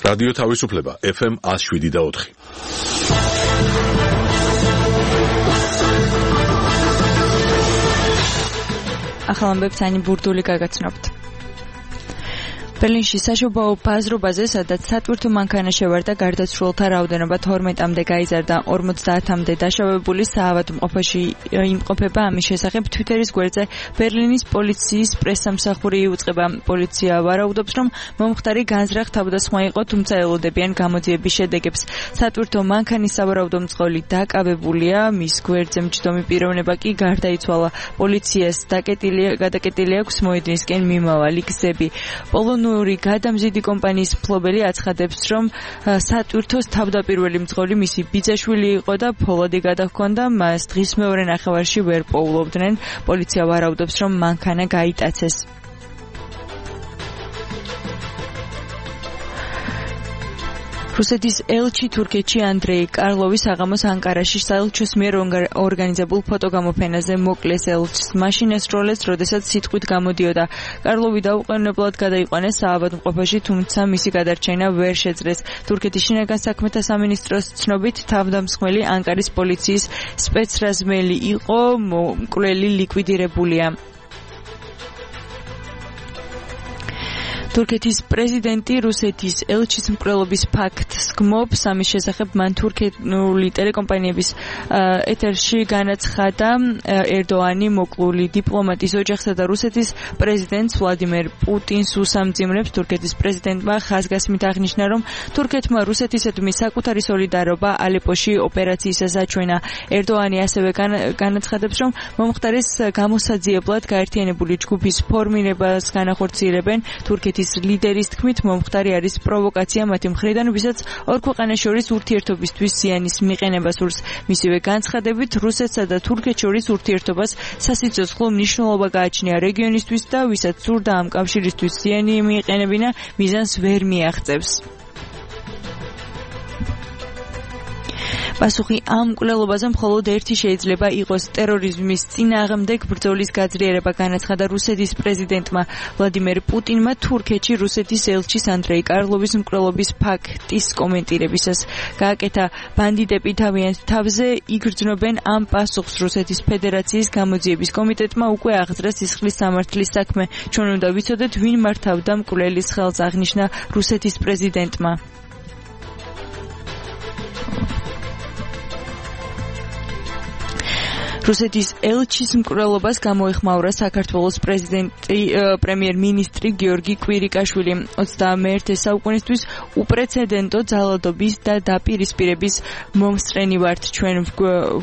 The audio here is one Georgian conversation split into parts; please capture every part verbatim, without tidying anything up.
რადიო თავისუფლება ეფ ემ one oh seven და four. ახალ ამბებს ანი ბურდული გაგაცნობთ. ბერლინში საშობაო ბაზრობაზე, სადაც სატვირთო მანქანა შევარდა, გარდაცვლილთა რაოდენობა თორმეტამდე გაიზარდა, ორმოცდაათამდე დაშავებული საავადმყოფოში იმყოფება. ამის შესახებ თვიტერის გვერდზე ბერლინის პოლიციის პრესსამსახური იუწყება. პოლიცია ვარაუდობს, რომ მომხდარი განზრახ თავდასხმა იყო, თუმცა ელოდებიან გამოძიების შედეგებს. სატვირთო მანქანის სავარაუდო მძღოლი დაკავებულია, მის გვერდზე მჯდომი პიროვნება კი გარდაიცვალა. პოლიციას გადაკეტილი აქვს მოედნისკენ მიმავალი გზები. პოლონური გადამზიდი კომპანიის მფლობელი აცხადებს, რომ სატვირთოს თავდაპირველი მძღოლი მისი ბიძაშვილი იყო და ფოლადი გადაჰქონდა, მას დღის მეორე ნახევარში ვერ პოულობდნენ. პოლიცია ვარაუდობს, რომ მანქანა გაიტაცეს. რუსეთის ელჩი თურქეთში ანდრეი კარლოვი საღამოს ანკარაში საელჩოს მიერ ორგანიზებულ ფოტოგამოფენაზე მოკლეს ელჩს მაშინ ესროლეს, როდესაც სიტყვით გამოდიოდა. კარლოვი დაუყოვნებლად გადაიყვანეს საავადმყოფოში, თუმცა მისი გადარჩენა ვერ შეძლეს. თურქეთის შინაგან საქმეთა სამინისტროს ცნობით, თავდამსხმელი ანკარის პოლიციის სპეცრაზმელი იყო, მკვლელი ლიკვიდირებულია. თურქეთის პრეზიდენტი რუსეთის ელჩის მკვლელობის ფაქტს გმობს. ამის შესახებ მან თურქული ტელეკომპანიების ეთერში განაცხადა, ერდოანი მოკლული დიპლომატის ოჯახსა და რუსეთის პრეზიდენტს ვლადიმერ პუტინს უსამძიმრებს. თურქეთის პრეზიდენტმა ხაზგასმით აღნიშნა, რომ თურქეთმა რუსეთისადმი საკუთარი სოლიდარობა ალეპოში ოპერაციისას აჩვენა. ერდოანი ასევე განაცხადებს, რომ მომხდარის გამოსაძიებლად გაერთიანებული ჯგუფის ფორმირებას განახორციელებენ. თურქეთის ლიდერის თქმით, მომხდარი არის პროვოკაცია მათი მხრიდან, ვისაც ორ ქვეყანას შორის ურთიერთობისთვის ზიანის მიყენება სურს. მისივე განცხადებით, რუსეთსა და თურქეთს შორის ურთიერთობას სასიცოცხლო მნიშვნელობა გააჩნია რეგიონისთვის და ვისაც სურდა ამ კავშირისთვის ზიანი მიეყენებინა, მიზანს ვერ მიაღწევს. პასუხი ამ მკვლელობაზე მხოლოდ ერთი შეიძლება იყოს ტერორიზმის წინააღმდეგ ბრძოლის გაძლიერება, განაცხადა რუსეთის პრეზიდენტმა ვლადიმერ პუტინმა თურქეთში რუსეთის ელჩის ანდრეი კარლოვის მკვლელობის ფაქტის კომენტირებისას. გააკეთა, ბანდიტები თავიანთ თავზე იგრძნობენ ამ პასუხს. რუსეთის ფედერაციის გამოძიების კომიტეტმა უკვე აღძრა სისხლის სამართლის საქმე. ჩვენ უნდა ვიცოდეთ, ვინ მართავდა მკვლელის ხელს, აღნიშნა რუსეთის პრეზიდენტმა. რუსეთის ელჩის მკვლელობას გამოეხმაურა საქართველოს პრეზიდენტი პრემიერ-მინისტრი გიორგი კვირიკაშვილი. ოცდამეერთე საუკუნისთვის უპრეცედენტო ძალადობის და დაპირისპირების მომსწრენი ვართ. ჩვენ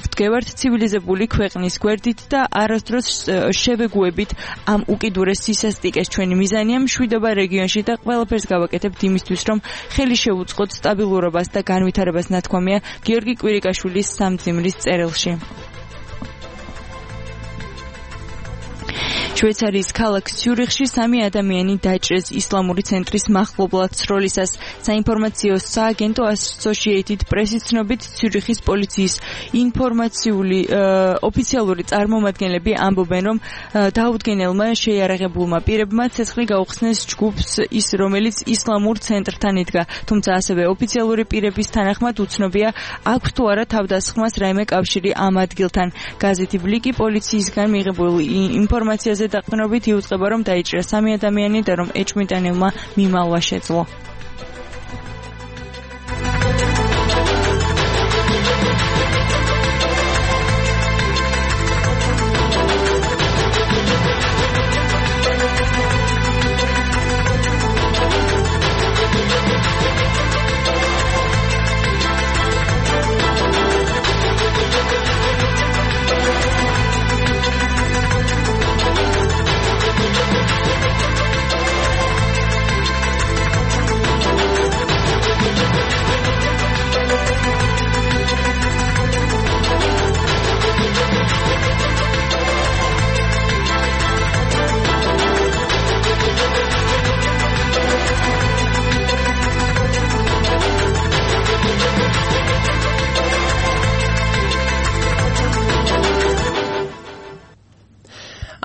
ვდგევართ ცივილიზებული ქვეყნის გვერდით და არასდროს შევეგუებით ამ უკიდურეს სისასტიკეს. ჩვენი მიზანია მშვიდობა რეგიონში და ყველაფერს გავაკეთებთ იმისთვის, რომ ხელი შევუწყოთ სტაბილურობას და განვითარებას, ნათქვამია გიორგი კვირიკაშვილის სამძიმრის წერილში. შვეიცარიის ქალაქ ციურიხში სამი ადამიანი დაჭრეს ისლამური ცენტრის მახლობლად სროლისას. საინფორმაციო სააგენტო Associated Press-ის ცნობით, ციურიხის პოლიციის ინფორმაციული ოფიციალური წარმომადგენლები ამბობენ, რომ დაუდგენელმა შეიარაღებულმა პირებმა ცეცხლი გაუხსნეს ჯგუფს, ის რომელიც ისლამურ ცენტრთან იდგა. თუმცა ასევე ოფიციალური პირების თანახმად უცნობია, აქვს თუ არა თავდასხმას რაიმე კავშირი ამ ადგილთან. გაზეთი ბლიკი პოლიციისგან მიღებულ ინფორმაციაზე დაყრდნობით იუწყება, რომ დაიჭრა სამი ადამიანი და რომ ეჭვმიტანილმა მიმალვა შეძლო.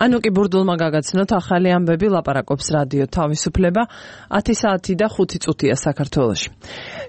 ანუკი ბურდულმა გაგაცნოთ ახალი ამბები ლაპარაკობს რადიო თავისუფლება ათი საათი და ხუთი წუთია საქართველოში.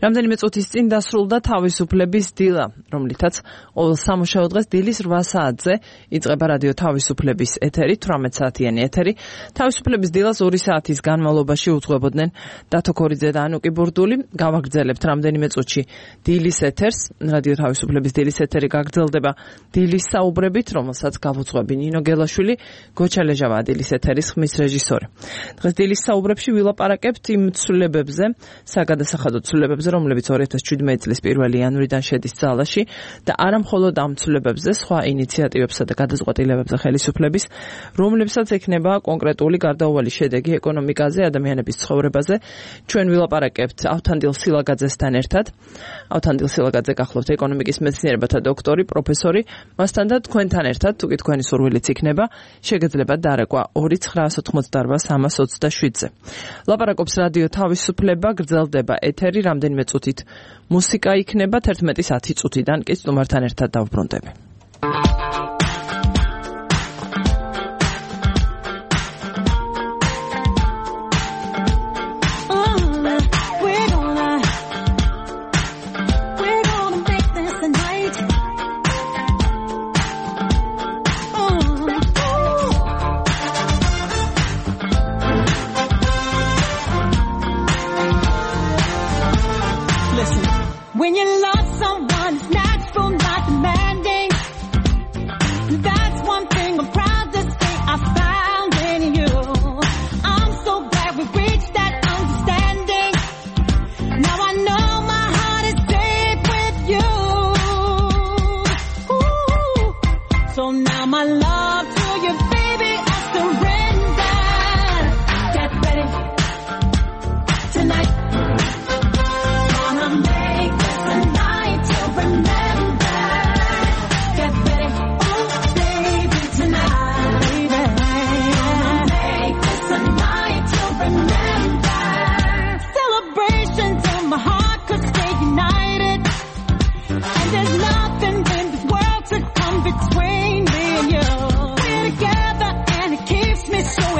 რამდენიმე წუთის წინ დასრულდა თავისუფლების დილა, რომლითაც ყოველ სამუშაო დღეს დილის რვა საათზე იწყება რადიო თავისუფლების ეთერი, თვრამეტ საათიანი ეთერი. თავისუფლების დილას ორი საათის განმავლობაში უძღვებოდნენ დათო ქორიძე და ანუკი ბურდული. გავაგრძელებთ რამდენიმე წუთში დილის ეთერს. რადიო თავისუფლების დილის ეთერი გაგრძელდება დილის საუბრებით, რომელსაც გავუძღვები ნინო გელაშვილი, გოჩა ლეჟავა დილის ეთერის ხმის რეჟისორი. დღეს დილის საუბრებში ვილაპარაკებთ იმ ცვლილებებზე, საგადასახადო ცვლილებებზე, რომლებიც ორი ათას შვიდმეტი წლის პირველი იანვრიდან შედის ძალაში და არა მხოლოდ ამ ცვლილებებზე, სხვა ინიციატივებსა და გადაწყვეტილებებზე ხელისუფლების, რომლებსაც ექნება კონკრეტული გარდაუვალი შედეგი ეკონომიკაზე, ადამიანების ცხოვრებაზე. ჩვენ ვილაპარაკებთ ავთანდილ სილაგაძესთან ერთად. ავთანდილ სილაგაძე გახლავთ ეკონომიკის მეცნიერებათა დოქტორი, პროფესორი, მასთან და თქვენთან ერთად, თუ კი თქვენი სურვილიც იქნება, შეგეძლებათ დარეკვა ორი ცხრაას ოთხმოცდაარბა სამას ოცდაშვიდზე. ლაპარაკობს რადიო თავისუფლება, გრძელდება ეთერი, რამდენიმე წუთით მუსიკა იქნება, თერთმეტის ათი წუთიდან კი სტუმართან ერთად დავბრუნდები. When you love someone, it's natural, not demanding. That's one thing I'm proud to say I found in you. I'm so glad we reached that understanding. Now I know my heart is safe with you. Ooh. So now my love to you, baby, I surrender. Get ready tonight.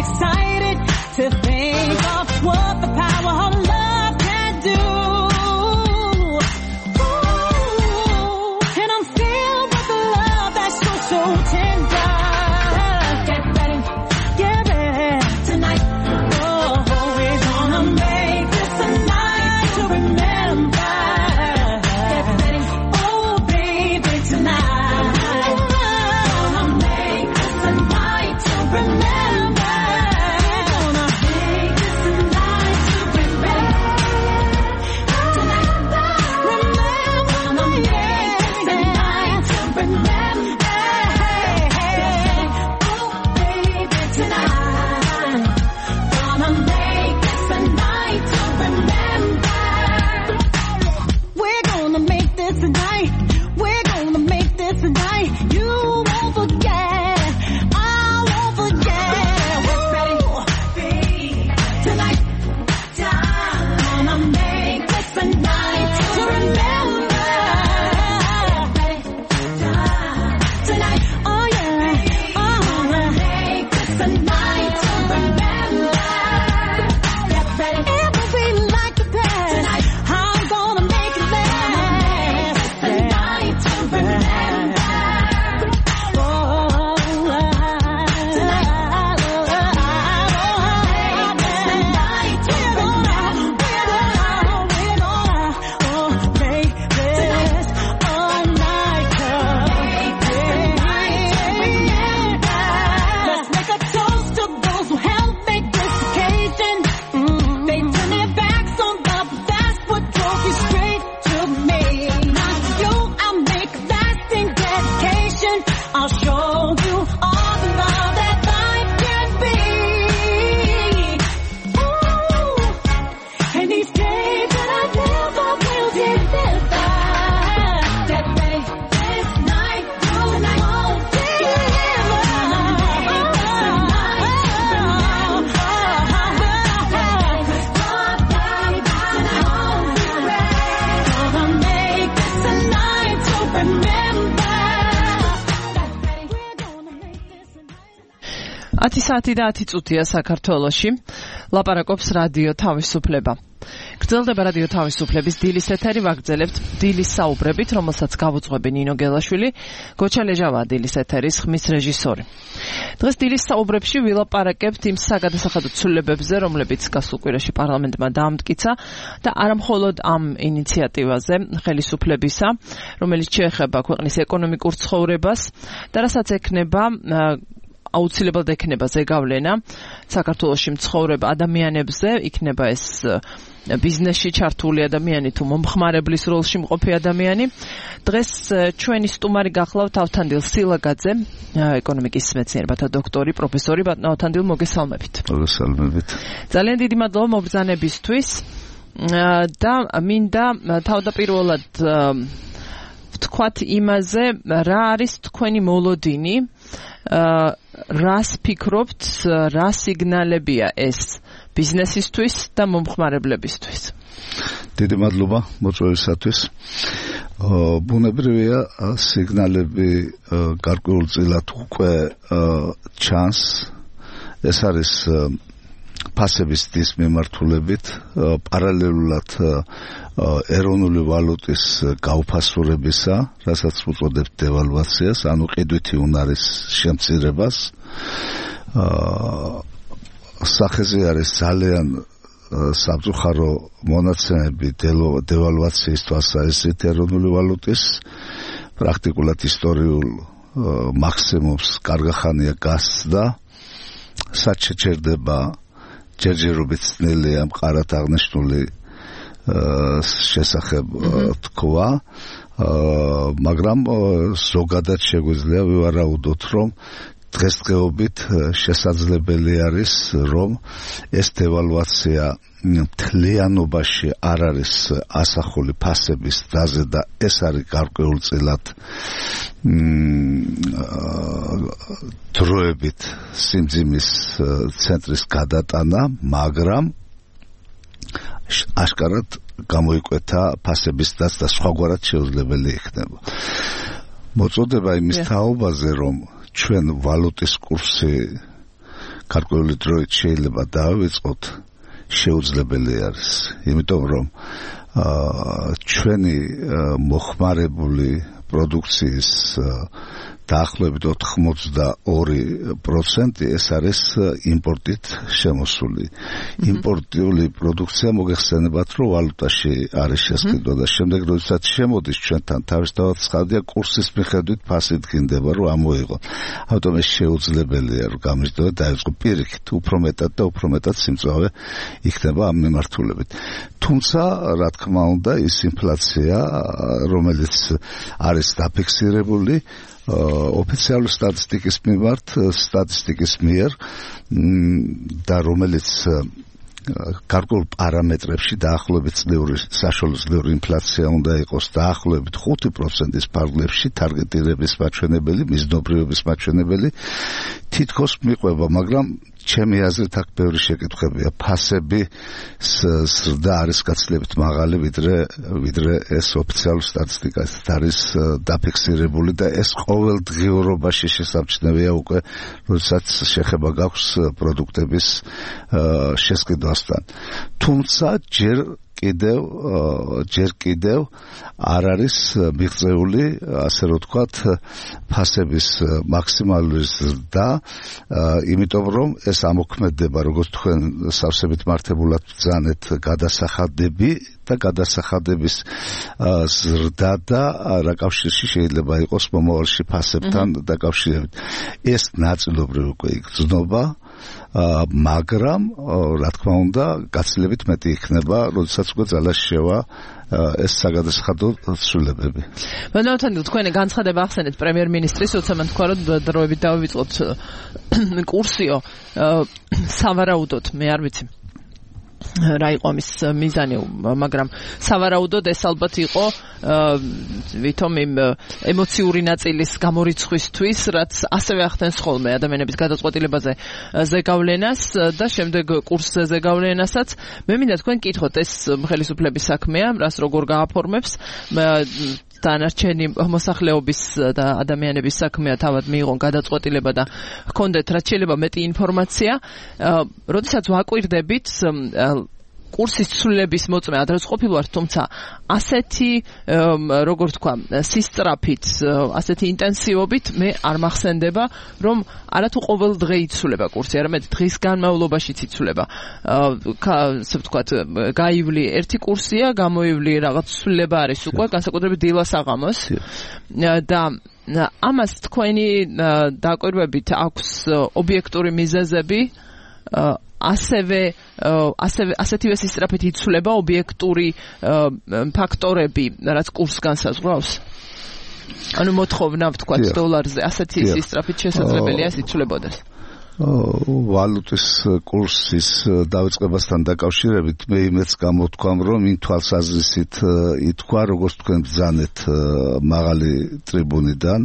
Excited to think of what the power of love can do. Ooh, and I'm filled with love that's so, so tender. Get ready, get ready tonight. Oh, we're gonna make this a night to remember. Get ready, oh baby, tonight. Gonna make this a night to remember. We're gonna make this a night you won't forget. I won't forget. ათი საათი და ათი წუთია საქართველოში. ლაპარაკობს რადიო თავისუფლება. გრძელდება რადიო თავისუფლების დილის ეთერი, ვაგრძელებთ დილის საუბრებით, რომელსაც გავუძღვები ნინო გელაშვილი, გოჩა ლეჟავაა დილის ეთერის ხმის რეჟისორი. დღეს დილის საუბრებში ვილაპარაკებთ იმ საგადასახადო ცვლილებებზე, რომლებიც გასულ კვირაში პარლამენტმა დაამტკიცა და არა მხოლოდ ამ ინიციატივაზე ხელისუფლებისა, რომელიც შეეხება ქვეყნის ეკონომიკურ ცხოვრებას და რასაც ექნება აუცილებლად ექნება ზეგავლენა საქართველოში მცხოვრებ ადამიანებზე, იქნება ეს ბიზნესში ჩართული ადამიანი თუ მომხმარებლის როლში მყოფი ადამიანი. დღეს ჩვენი სტუმარი გახლავთ ავთანდილ სილაგაძე, ეკონომიკის მეცნიერებათა დოქტორი, პროფესორი. ბატონო ავთანდილ, მოგესალმებით. მოგესალმებით. ძალიან დიდი მადლობა მობრძანებისთვის და მინდა თავდაპირველად ვთქვათ იმაზე, რა არის თქვენი მოლოდინი, რას ფიქრობთ, რა სიგნალებია ეს ბიზნესისთვის და მომხმარებლებისთვის? დიდი მადლობა მოწვევისათვის. ბუნებრივია სიგნალები გარკვეულწილად უკვე ჩანს. ეს არის ფასების დის მიმართულებით, პარალელურად ეროვნული ვალუტის გაუფასურებისა, რასაც უწოდებთ დევალვაციას, ანუ ყიდვითი უნარის შემცირებას. სახეზე არის ძალიან სამწუხარო მონაცემები დევალვაციის თვალსაზრისით ეროვნული ვალუტის, პრაქტიკულად ისტორიულ მაქსიმუმს კარგი ხანია გასცდა. საჩერდება ჯერჯერობით ძნელია მყარად აღნიშნული შესახებ თქვა, მაგრამ ზოგადად შეგვიძლია ვივარაუდოთ, რომ დღესდღეობით შესაძლებელი არის, რომ ეს დევალვაცია მთლიანობაში არ არის ასახული ფასების დაზე და ეს არის გარკვეულწილად დროებით სიმძიმის ცენტრის გადატანა, მაგრამ აშკარად გამოიკვეთა ფასების დას და სხვაგვარად შეუძლებელი იქნება. მოწოდება იმის თაობაზე, რომ ჩვენ ვალუტის კურსი გარკვეული დროით შეიძლება დავიწყოთ, შეუძლებელი არის, იმიტომ რომ ჩვენი მოხმარებული პროდუქციის დაახლოებით ოთხმოცდაორი პროცენტი ეს არის იმპორტით შემოსული. იმპორტიული პროდუქცია მოგეხსენებათ, რომ ვალუტაში არის შესყიდვა და შემდეგ როდესაც შემოდის ჩვენთან თავისთავად ცხადია კურსის მიხედვით ფასი დგინდება, რომ ამოიღო. ამიტომ ეს შეუძლებელია, რომ გამიზიდოდეს დაიწყო პირიქით, უფრო მეტად და უფრო მეტად სიმწვავე იქნება ამ მიმართულებით. თუმცა, რა თქმა უნდა, ის ინფლაცია, რომელიც არის დაფიქსირებული ოფიციალური სტატისტიკის მიმართ, სტატისტიკის მიერ და რომელიც გარკვეულ პარამეტრებში დაახლოებით წლიური საშუალო წლიური ინფლაცია უნდა იყოს დაახლოებით ხუთი პროცენტის ფარგლებში, ტარგეტირების მაჩვენებელი, მიზნობრიობის მაჩვენებელი თითქოს მიყვება, მაგრამ ჩემი აზრით აქ ბევრი შეკითხვებია. ფასები ზრდა არის გაცილებით მაღალი, ვიდრე ვიდრე ეს ოფიციალური სტატისტიკა არის დაფიქსირებული და ეს ყოველდღიურობაში შესამჩნევია უკვე, როდესაც შეხება გაქვს პროდუქტების შესყიდვასთან. თუმცა ჯერ კიდევ ჯერ კიდევ არ არის მიღწეული, ასე რომ ვთქვათ, ფასების მაქსიმალური ზრდა, იმიტომ რომ ეს ამოქმედება, როგორც თქვენ სავსებით მართებულად ბრძანეთ, გადასახადები და გადასახადების ზრდა და რა კავშირში შეიძლება იყოს მომავალში ფასებთან დაკავშირებით. ეს ნაწილობრივ უკვე იგრძნობა, მაგრამ რა თქმა უნდა გაცილებით მეტი იქნება, როდესაც უკვე ძალას შევა ეს საგადასახადო ცვლილებები. ბატონო, თქვენი განცხადება ახსენეთ პრემიერ-მინისტრის, როცა მან თქვა, რომ დროებით დავივიწყოთ კურსიო, სავარაუდოდ, მე არ ვიცი რა იყო ამის მიზანი, მაგრამ სავარაუდოდ ეს ალბათ იყო ვითომ იმ ემოციური ნაწილის გამორიცხვისთვის, რაც ასევე ახდენს ხოლმე ადამიანების გადაწყვეტილებაზე ზეგავლენას და შემდეგ კურსზე ზეგავლენასაც. მე მინდა თქვენ კითხოთ, ეს ხელისუფლების საქმეა, რას როგორ გააფორმებს. დანარჩენი მოსახლეობის და ადამიანების საქმეა თავად მიიღონ გადაწყვეტილება და ჰქონდეთ რაც შეიძლება მეტი ინფორმაცია. როდესაც ვაკვირდებით კურსის ცვლილების მოწმე ადრეც ყოფილ ვარ, თუმცა ასეთი როგორ თქვა, სისწრაფით, ასეთი ინტენსივობით მე არ მახსენდება, რომ არათუ ყოველ დღე იცვლება კურსი, არამედ დღის განმავლობაშიც იცვლება. ასე ვთქვათ, გაივლი ერთი კურსია, გამოივლი რაღაც ცვლილება არის უკვე, განსაკუთრებით დილა-საღამოს და ამას თქვენი დაკვირვებით აქვს ობიექტური მიზეზები, ასევე ასევე ასეთივე სისწრაფით იცვლება ობიექტური ფაქტორები, რაც კურსს განსაზღვრავს. ანუ მოთხოვნა ვთქვათ დოლარზე ასეთი სისწრაფით შესაძლებელია იცვლებოდეს. ვალუტის კურსის დავიწყებასთან დაკავშირებით მე იმეც გამოთქვამ, რომ იმ თვალსაზრისით ითქვა, როგორც თქვენ ბრძანეთ მაღალი ტრიბუნიდან,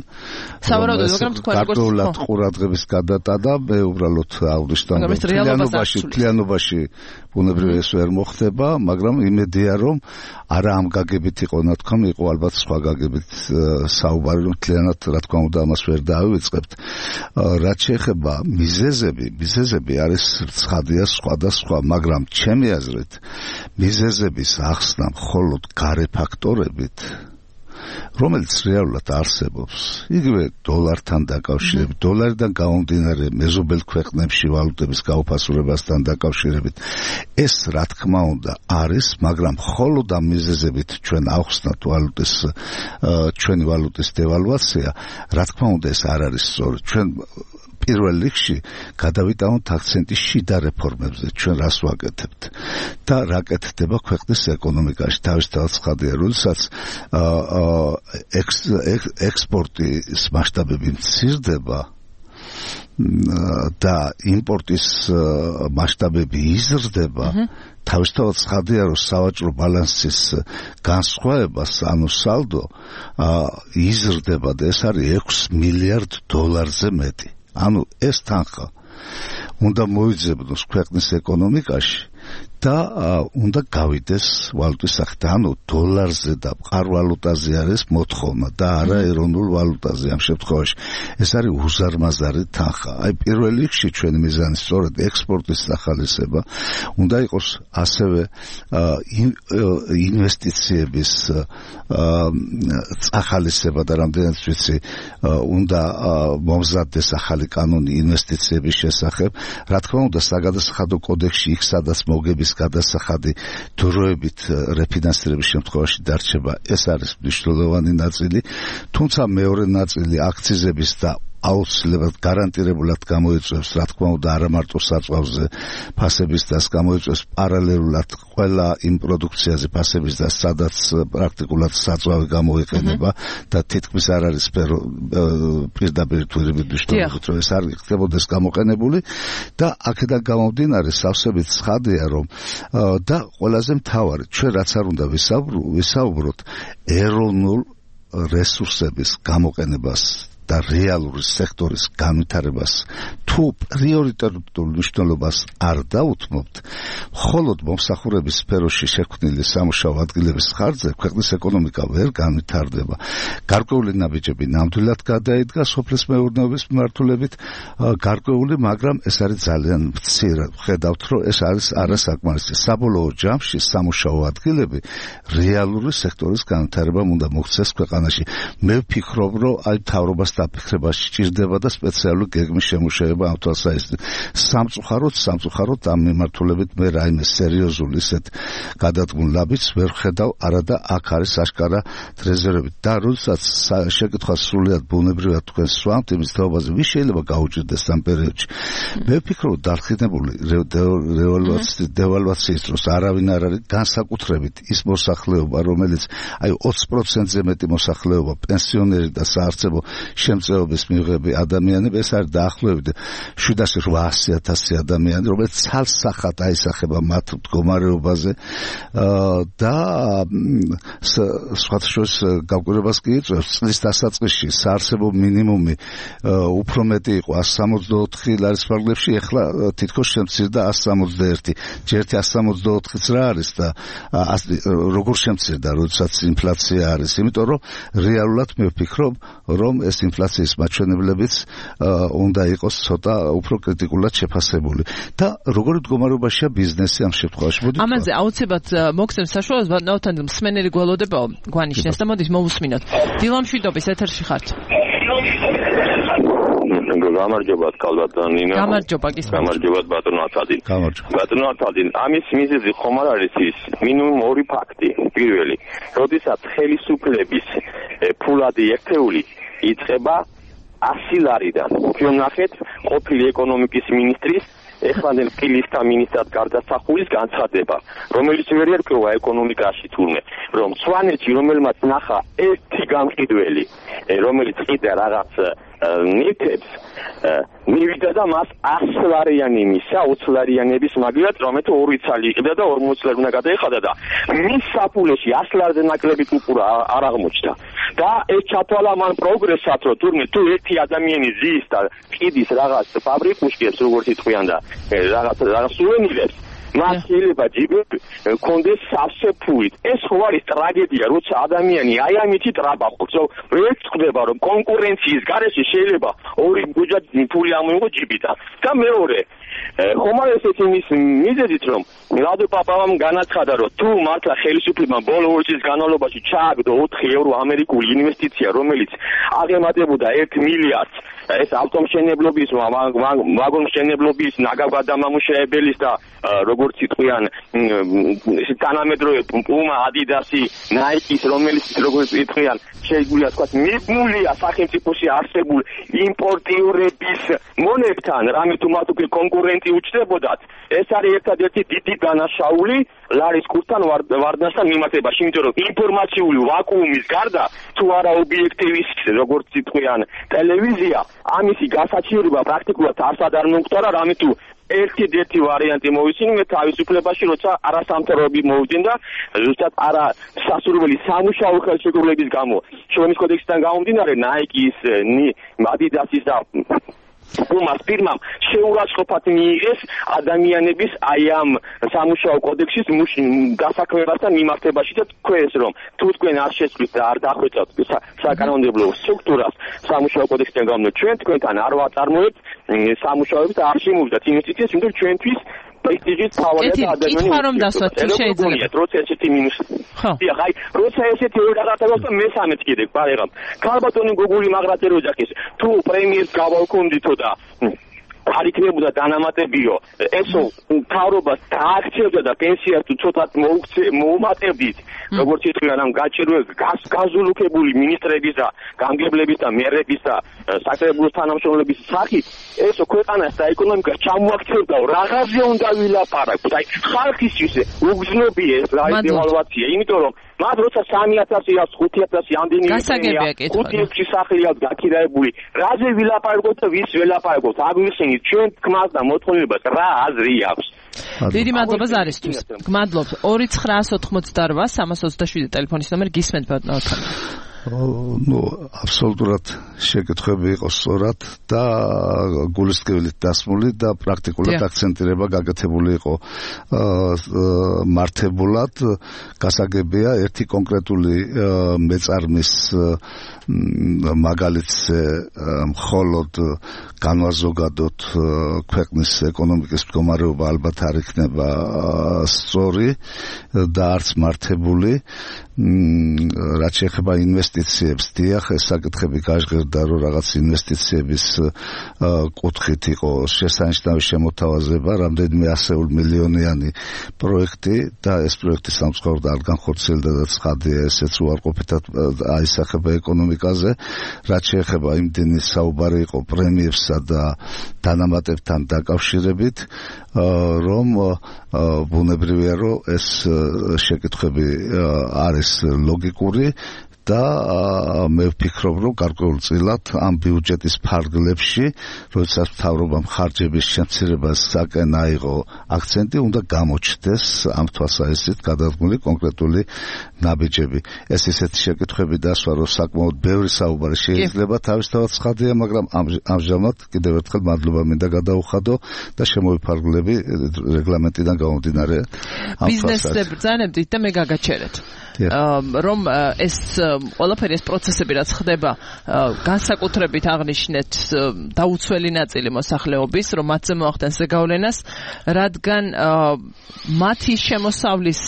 სავარაუდოდ, მაგრამ თქვენ როგორც გარკვეულად ყურადღების გადატანა, მე უბრალოდ აღვნიშნავ, რომ თლიანობაში თლიანობაში ბუნებრივი ეს ვერ მოხდება, მაგრამ იმედია, რომ არა ამ გაგებით იყო ნათქვამი, იყო ალბათ სხვა გაგებით საუბარი, რომ თლიანად რა თქმა უნდა ამას ვერ დავივიწყებთ. რაც შეეხება მიზეზები, მიზეზები არის ცხადია სხვადასხვა, მაგრამ ჩემი აზრით მიზეზების ახსნა მხოლოდ გარე ფაქტორებით, რომელიც რეალურად არსებობს, იგივე დოლართან დაკავშირებით, დოლარიდან გამომდინარე მეზობელ ქვეყნებში ვალუტების გაუფასურებასთან დაკავშირებით, ეს რა თქმა უნდა არის, მაგრამ მხოლოდ ამ მიზეზებით ჩვენ ავხსნათ ვალუტის ჩვენი ვალუტის დევალვაცია, რა თქმა უნდა ეს არ არის სწორი. ჩვენ პირველ რიგში გადავიტანოთ აქცენტი შიდა რეფორმებზე, ჩვენ რას ვაკეთებთ და რა კეთდება ქვეყნის ეკონომიკაში. თავისთავად ცხადია, როდესაც ექსპორტის მასშტაბები მცირდება და იმპორტის მასშტაბები იზრდება, თავისთავად ცხადია, რომ სავაჭრო ბალანსის განსხვავებას, ანუ სალდო იზრდება და ეს არის ექვს მილიარდ დოლარზე მეტი. ანუ ეს თანხა უნდა მოიძებნოს ქვეყნის ეკონომიკაში და უნდა გავიდეს ვალუტის სახით, ანუ დოლარზე და მყარ ვალუტაზე არის მოთხოვნა და არა ეროვნულ ვალუტაზე. ამ შემთხვევაში ეს არის უზარმაზარი თანხა. აი პირველ რიგში ჩვენი მიზანი სწორედ ექსპორტის სახალისება უნდა იყოს, ასევე ინვესტიციების სახალისება და რამდენიც ვიცი უნდა მომზადდეს ახალი კანონი ინვესტიციების შესახებ. რა თქმა უნდა, საგადასახადო კოდექსში იქ სადაც მოგების გადასახადი დროებით რეფინანსირების შემთხვევაში დარჩება, ეს არის მნიშვნელოვანი ნაწილი, თუმცა მეორე ნაწილი აქციზების და აუცილებლად გარანტირებულად გამოიწვევს, რა თქმა უნდა, არა მარტო საწვავზე ფასების დას, გამოიწვევს პარალელურად ყველა იმ პროდუქციაზე ფასების დას, სადაც პრაქტიკულად საწვავი გამოიყენება და თითქმის არ არის პირდაპირ თვირებით მნიშვნელობით, რომ ეს არ იქნებოდეს გამოყენებული და აქედან გამომდინარე სავსებით ცხადია, რომ და ყველაზე მთავარი, ჩვენ რაც არ უნდა ვისაუბროთ ეროვნულ რესურსების გამოყენებას და რეალური სექტორის განვითარებას თუ პრიორიტეტულ მნიშვნელობას არ დაუთმობთ, მხოლოდ მომსახურების სფეროში შექმნილი სამუშაო ადგილების ხარჯზე ქვეყნის ეკონომიკა ვერ განვითარდება. გარკვეული ნაბიჯები ნამდვილად გადაიდგა სოფლის მეურნეობის მიმართულებით, გარკვეული, მაგრამ ეს არის ძალიან მცირე. ხედავთ, რომ ეს არის არასაკმარისი. საბოლოო ჯამში სამუშაო ადგილები რეალური სექტორის განვითარებამ უნდა მოხდეს ქვეყანაში. მე ვფიქრობ, რომ აი მთავრობას დაფიქრება სჭირდება და სპეციალური გეგმის შემუშავება ამ თვალსაზრისით. სამწუხაროდ, სამწუხაროდ ამ მიმართულებით მე რაიმე სერიოზული ისეთ გადადგმულ ნაბიჯს ვერ ვხედავ, არადა აქ არის აშკარა რეზერვები. და როდესაც შეკითხვა სრულიად ბუნებრივად თქვენ სვამთ იმის თაობაზე, ვის შეიძლება გაუჭირდეს ამ პერიოდში. მე ვფიქრობ, დარწმუნებული დევალვაციის დროს არავინ არ არის, განსაკუთრებით ის მოსახლეობა, რომელიც აი ოცი პროცენტზე მეტი მოსახლეობა, პენსიონერი და საარსებო შემწეობის მიღები ადამიანები, ეს არის დაახლოებით შვიდას რვაასი ათასი ადამიანი, რომელიც ცალსახად აისახება მათ მდგომარეობაზე და სხვათა შორის გავკვირვებას კი იწვევს წლის დასაწყისში საარსებო მინიმუმი უფრო მეტი იყო ასი სამოცდაოთხი ლარის ფარგლებში, ეხლა თითქოს შემცირდა ასი სამოცდაერთი. ჯერთი ასი სამოცდაოთხიც რა არის და როგორ შემცირდა, როდესაც ინფლაცია არის, იმიტომ რომ რეალურად მე ვფიქრობ, რომ ეს ინფლაციის მაჩვენებლებიც უნდა იყოს ცოტა უფრო კრიტიკულად შეფასებული. და როგორი მდგომარეობაშია ბიზნესი ამ შემთხვევაში? ამაზე აუცილებლად მოგცემს საშუალებას, ნაოთან მსმენელი გველოდებაო, გვანიშნეს და მოდით მოვუსმინოთ. დილა მშვიდობის ეთერში ხართ. გამარჯობა კალბატონინო. გამარჯობა გისმენთ. გამარჯობა ბატონო ათადი. გამარჯობა. ბატონო ათადი, ამის მიზეზი ხომ არ არის ის მინიმუმ ორი ფაქტი. პირველი, როდესაც ხელისუფლების ფულადი ერთეული იწყება ასი ლარიდან. ჩვენ ნახეთ ყოფილი ეკონომიკის მინისტრის ეხლანდელ ფილისტა მინისტრად გარდასახულის განცხადება, რომელიც ვერ ერკვევა ეკონომიკაში თურმე, რომ სვანეთში რომელმაც ნახა ერთი გამყიდველი, რომელიც ყიდა რაღაც ნივთებს, მივიდა და მას ასი ლარიანი მისა, ოცი ლარიანების მაგალითად, რომელიც ორი ცალი იყიდა და ორმოცი ლარი უნდა გადაეხადა და მის საფულეში ასი ლარზე ნაკლები კუპურა არ აღმოჩნდა. და ეს ჩათვალა მან პროგრესად, რომ თურმე თუ ერთი ადამიანი ზის და ყიდის რაღაც ფაბრიკუშკებს, როგორც იტყვიან და რაღაც რაღაც სუვენირებს, მას შეიძლება ჯიბები კონდეს სავსე ფულით. ეს ხო არის ტრაგედია, როცა ადამიანი აი ამითი ტრაბახობს, რომ ეს ხდება, რომ კონკურენციის გარეშე შეიძლება ორი გუჯა ფული ამოიღო ჯიბიდან. და მეორე ხომ არ ესეთი იმის მიზეზით, რომ მილადო პაპავამ განაცხადა, რომ თუ მართლა ხელისუფლებამ ბოლო ორი წლის განმავლობაში ჩააგდო ოთხი ევრო ამერიკული ინვესტიცია, რომელიც აღემატებოდა ერთი მილიარდს, ეს ავტომშენებლობის, ვაგონმშენებლობის, ნაგავგადამამუშავებელის და როგორც იტყვიან თანამედროვე პუმა, ადიდასი, ნაიკის, რომელიც როგორც იტყვიან შეგვიძლია თქვა მიბმულია სახელმწიფოში არსებულ იმპორტიორების მონებთან, რამე თუ მათ უკვე კონკურენტი უჩნდებოდათ. ეს არის ერთადერთი დიდი დანაშაული ლარის კურსთან ვარდნასთან მიმართებაში, იმიტომ რომ ინფორმაციული ვაკუუმის გარდა თუ არა ობიექტივის, როგორც იტყვიან ტელევიზია, ამისი გასაჩივრება პრაქტიკულად არსად არ მომხდარა, რამე თუ ერთი-ერთი ვარიანტი მოვისმინე თავისუფლებაში, როცა არასამთავრობო მოვიდნენ და ზუსტად არა სასურველი სამუშაო ხელშეკრულების გამო, შრომის კოდექსიდან გამომდინარე, ნაიკის, ადიდასის და პუმას ფირმამ შეურაცხყოფად მიიღეს ადამიანების აი ამ სამუშაო კოდექსის დასაქმებასთან მიმართებაში და თქვენს რომ თუ თქვენ არ შეცვლით და არ დახვეწავთ საკანონმდებლო სტრუქტურას სამუშაო კოდექსიდან გამომდინარე, ჩვენ თქვენთან არ ვაწარმოებთ სამუშაოებს და არ შემოვიდათ ინვესტიციებს, იმიტომ რომ ჩვენთვის პრესტიჟის თავია და ადამიანი კითხვა რომ დასვათ თუ შეიძლება როცა ესეთი მინუს ხა აი როცა ესეთი რაღაცა და მესამეც კიდე პარეგამ ქალბატონი გოგული მაგრატე როჯახის თუ პრემიერს გავავკონდითო და არ იქნებოდა დანამატებიო, ესო თავრობას დააქცევდა და პენსიას თუ ცოტათ მოუმატებდით, როგორც იტყვიან ამ გაჭირვე გაზულუქებული მინისტრების და გამგებლების და მერების და საკრებულოს თანამშრომლების სახით, ესო ქვეყანას და ეკონომიკას ჩამოაქცევდა, რაღაცზე უნდა ვილაპარაკოთ. აი ხალხისთვის უგზნობია ეს დევალვაცია, იმიტომ რომ მათ როცა სამი ათასი ხუთი ათასი ამდენი ხუთი ექვსი სახლი აქვს გაქირაებული, რაზე ვილაპარაკოთ და ვის ველაპარაკოთ? აგვიხსენით ჩვენ თქმას და მოთხოვნილებას რა აზრი აქვს. დიდი მადლობა ზარისთვის. გმადლობთ. ორი ცხრაას ოთხმოცდარვა სამას ოცდაშვიდი ტელეფონის ნომერი გისმენთ ბატონო. ну აბსოლუტურად შეკითხვები იყო სწორად და გულისკევილით დასმული და პრაქტიკულად აქცენტირება გაკეთებული იყო მართებულად. გასაგებია ერთი კონკრეტული მეწარმის მაგალითზე მხოლოდ განვაზოგადოთ ქვეყნის ეკონომიკის მდგომარეობა ალბათ არ იქნება სწორი და არც მართებული. რაც შეეხება ინვესტიციებს, დიახ, ეს საკითხები გაჟღერდა, რომ რაღაც ინვესტიციების კუთხით იყო შესანიშნავი შემოთავაზება, რამდენიმე ასეულ მილიონიანი პროექტი და ეს პროექტი სამწუხაროდ არ განხორციელდა და ცხადია ესეც უარყოფითად აისახება ეკონომიკაზე. რაც შეეხება იმდენი საუბარი იყო პრემიებსა და დანამატებთან დაკავშირებით, რომ ბუნებრივია, რომ ეს შეკითხვები არის ლოგიკური და მე ვფიქრობ, რომ გარკვეულწილად ამ ბიუჯეტის ფარგლებში, როდესაც მთავრობამ ხარჯების შემცირებასაკენ აიღო აქცენტი, უნდა გამოჩნდეს ამ თვალსაზრისით გადადგმული კონკრეტული ნაბიჯები. ეს ისეთი შეკითხვები დასვა, რომ საკმაოდ ბევრი საუბარი შეიძლება თავისთავად ცხადია, მაგრამ ამჟამად კიდევ ერთხელ მადლობა მინდა გადაუხადო და შემოვიფარგლები რეგლამენტიდან გამომდინარე ამ ბიზნესზე ბრძანებდით და მე გაგაჩერეთ. რომ ეს ყველაფერი ეს პროცესები რაც ხდება განსაკუთრებით აღნიშნეთ დაუცველი ნაწილი მოსახლეობის რომ მათზე მოახდენს ზეგავლენას რადგან მათი შემოსავლის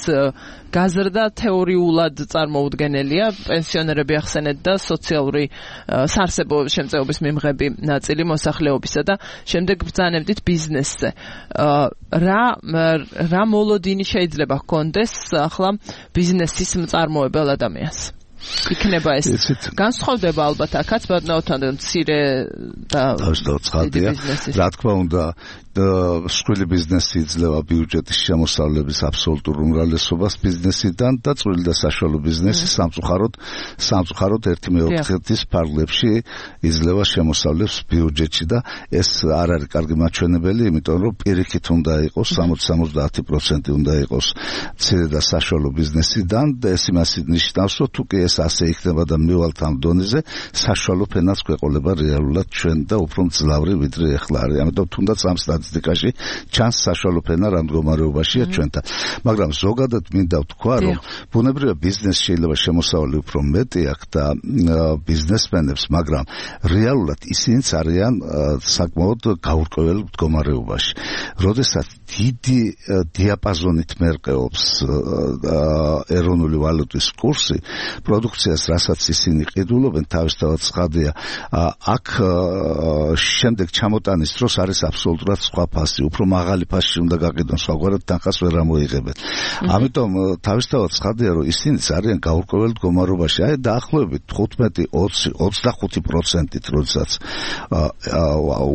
გაზრდა თეორიულად წარმოუდგენელია პენსიონერები ახსენეთ და სოციალური საარსებო შემწეობის მიმღები ნაწილი მოსახლეობისა და შემდეგ ბრძანებდით ბიზნესზე რა რა მოლოდინი შეიძლება ჰქონდეს ახლა ბიზნესის მწარმოებელ ადამიანს იქნება ეს განსხვავდება ალბათ აქაც ბატონთან მცირე და ცხადია რა თქმა უნდა მსხვილი ბიზნესი იძლევა ბიუჯეტის შემოსავლების აბსოლუტურ უმრავლესობას ბიზნესიდან და წვრილი და საშუალო ბიზნესი სამწუხაროდ სამწუხაროდ ერთი მეოთხედის ფარგლებში იძლევა შემოსავლებს ბიუჯეტში და ეს არ არის კარგი მაჩვენებელი, იმიტომ რომ პირიქით უნდა იყოს სამოცი სამოცდაათი პროცენტი უნდა იყოს მცირე და საშუალო ბიზნესიდან და ეს იმას ნიშნავს, რომ თუ კი ეს ასე იქნება და მივალთ ამ დონეზე, საშუალო ფენას გვეყოლება რეალურად ჩვენ და უფრო მძლავრი ვიდრე ახლა არის. ამიტომ თუნდაც ამ სტატისტიკაში ჩანს საშუალო ფენა რა მდგომარეობაშია ჩვენთან. მაგრამ ზოგადად მინდა ვთქვა, რომ ბუნებრივია ბიზნესში შეიძლება შემოსავალი უფრო მეტი აქვს და ბიზნესმენებს, მაგრამ რეალურად ისინიც არიან საკმაოდ გაურკვეველ მდგომარეობაში. როდესაც დიდი დიაპაზონით მერყეობს ეროვნული ვალუტის კურსი, პროდუქციას, რასაც ისინი ყიდულობენ, თავისთავად ცხადია, აქ შემდეგ ჩამოტანის დროს არის აბსოლუტურად სხვა ფასი, უფრო მაღალი ფასში უნდა გაყიდონ, სხვაგვარად თანხას ვერ ამოიღებენ. ამიტომ თავისთავად ცხადია, რომ ისინიც არიან გაურკვეველ მდგომარეობაში. აი დაახლოებით თხუთმეტი, ოცი, ოცდახუთი პროცენტით, როდესაც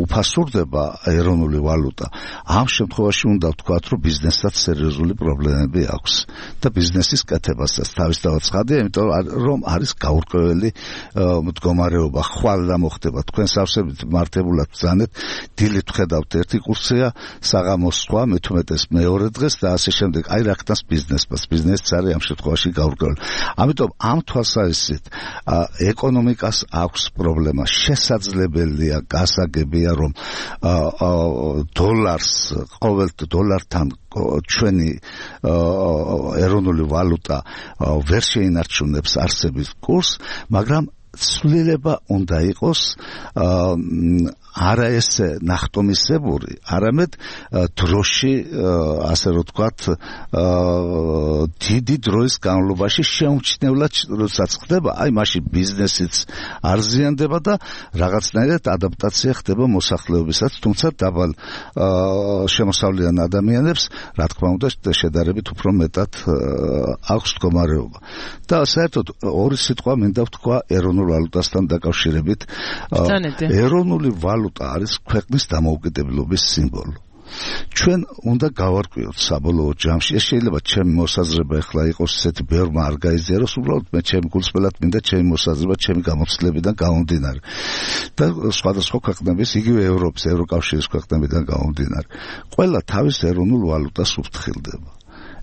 უფასურდება ეროვნული ვალუტა. ამ შემთხვევაში უნდა ვთქვათ, რომ ბიზნესსაც სერიოზული პრობლემები აქვს და ბიზნესის კეთებასაც თავისთავად ცხადია, იმიტომ რომ არის გაურკვეველი მდგომარეობა. ხვალ რა მოხდება? თქვენ სავსებით მართებულად ბრძანეთ, დილით ვხედავთ ერთი კურსია, საღამოს სხვა, მეთუმეტეს მეორე დღეს და ასე შემდეგ. აი რა ხდას ბიზნესს? ბიზნესიც არის ამ შემთხვევაში გაურკვეველი. ამიტომ ამ თვალსაზრისით ეკონომიკას აქვს პრობლემა. შესაძლებელია, გასაგებია, რომ დოლარს ყოველ დოლართან ჩვენი ეროვნული ვალუტა ვერ შეინარჩუნებს არსების კურსს, მაგრამ ცვლილება უნდა იყოს არა ესე ნახტომისებური, არამედ დროში, ასე რომ ვთქვათ, დიდი დროის განმავლობაში შეუმჩნევლად როდესაც ხდება, აი მაშინ ბიზნესიც არ ზიანდება და რაღაცნაირად ადაპტაცია ხდება მოსახლეობისაც, თუმცა დაბალ შემოსავლიან ადამიანებს, რა თქმა უნდა, შედარებით უფრო მეტად აქვს მდგომარეობა. და საერთოდ ორი სიტყვა მინდა ვთქვა ეროვნულ ვალუტასთან დაკავშირებით. ეროვნული ვალუტა არის ქვეყნის დამოუკიდებლობის სიმბოლო. ჩვენ უნდა გავარკვიოთ საბოლოო ჯამში, ეს შეიძლება ჩემი მოსაზრება ახლა იყოს ისეთი ბევრმა არ გაიზიაროს, უბრალოდ მე ჩემი გულწრფელად მინდა ჩემი მოსაზრება, ჩემი გამოცდილებიდან გამომდინარე და სხვადასხვა ქვეყნების, იგივე ევროპის, ევროკავშირის ქვეყნებიდან გამომდინარე. ყველა თავის ეროვნულ ვალუტას უფრთხილდება.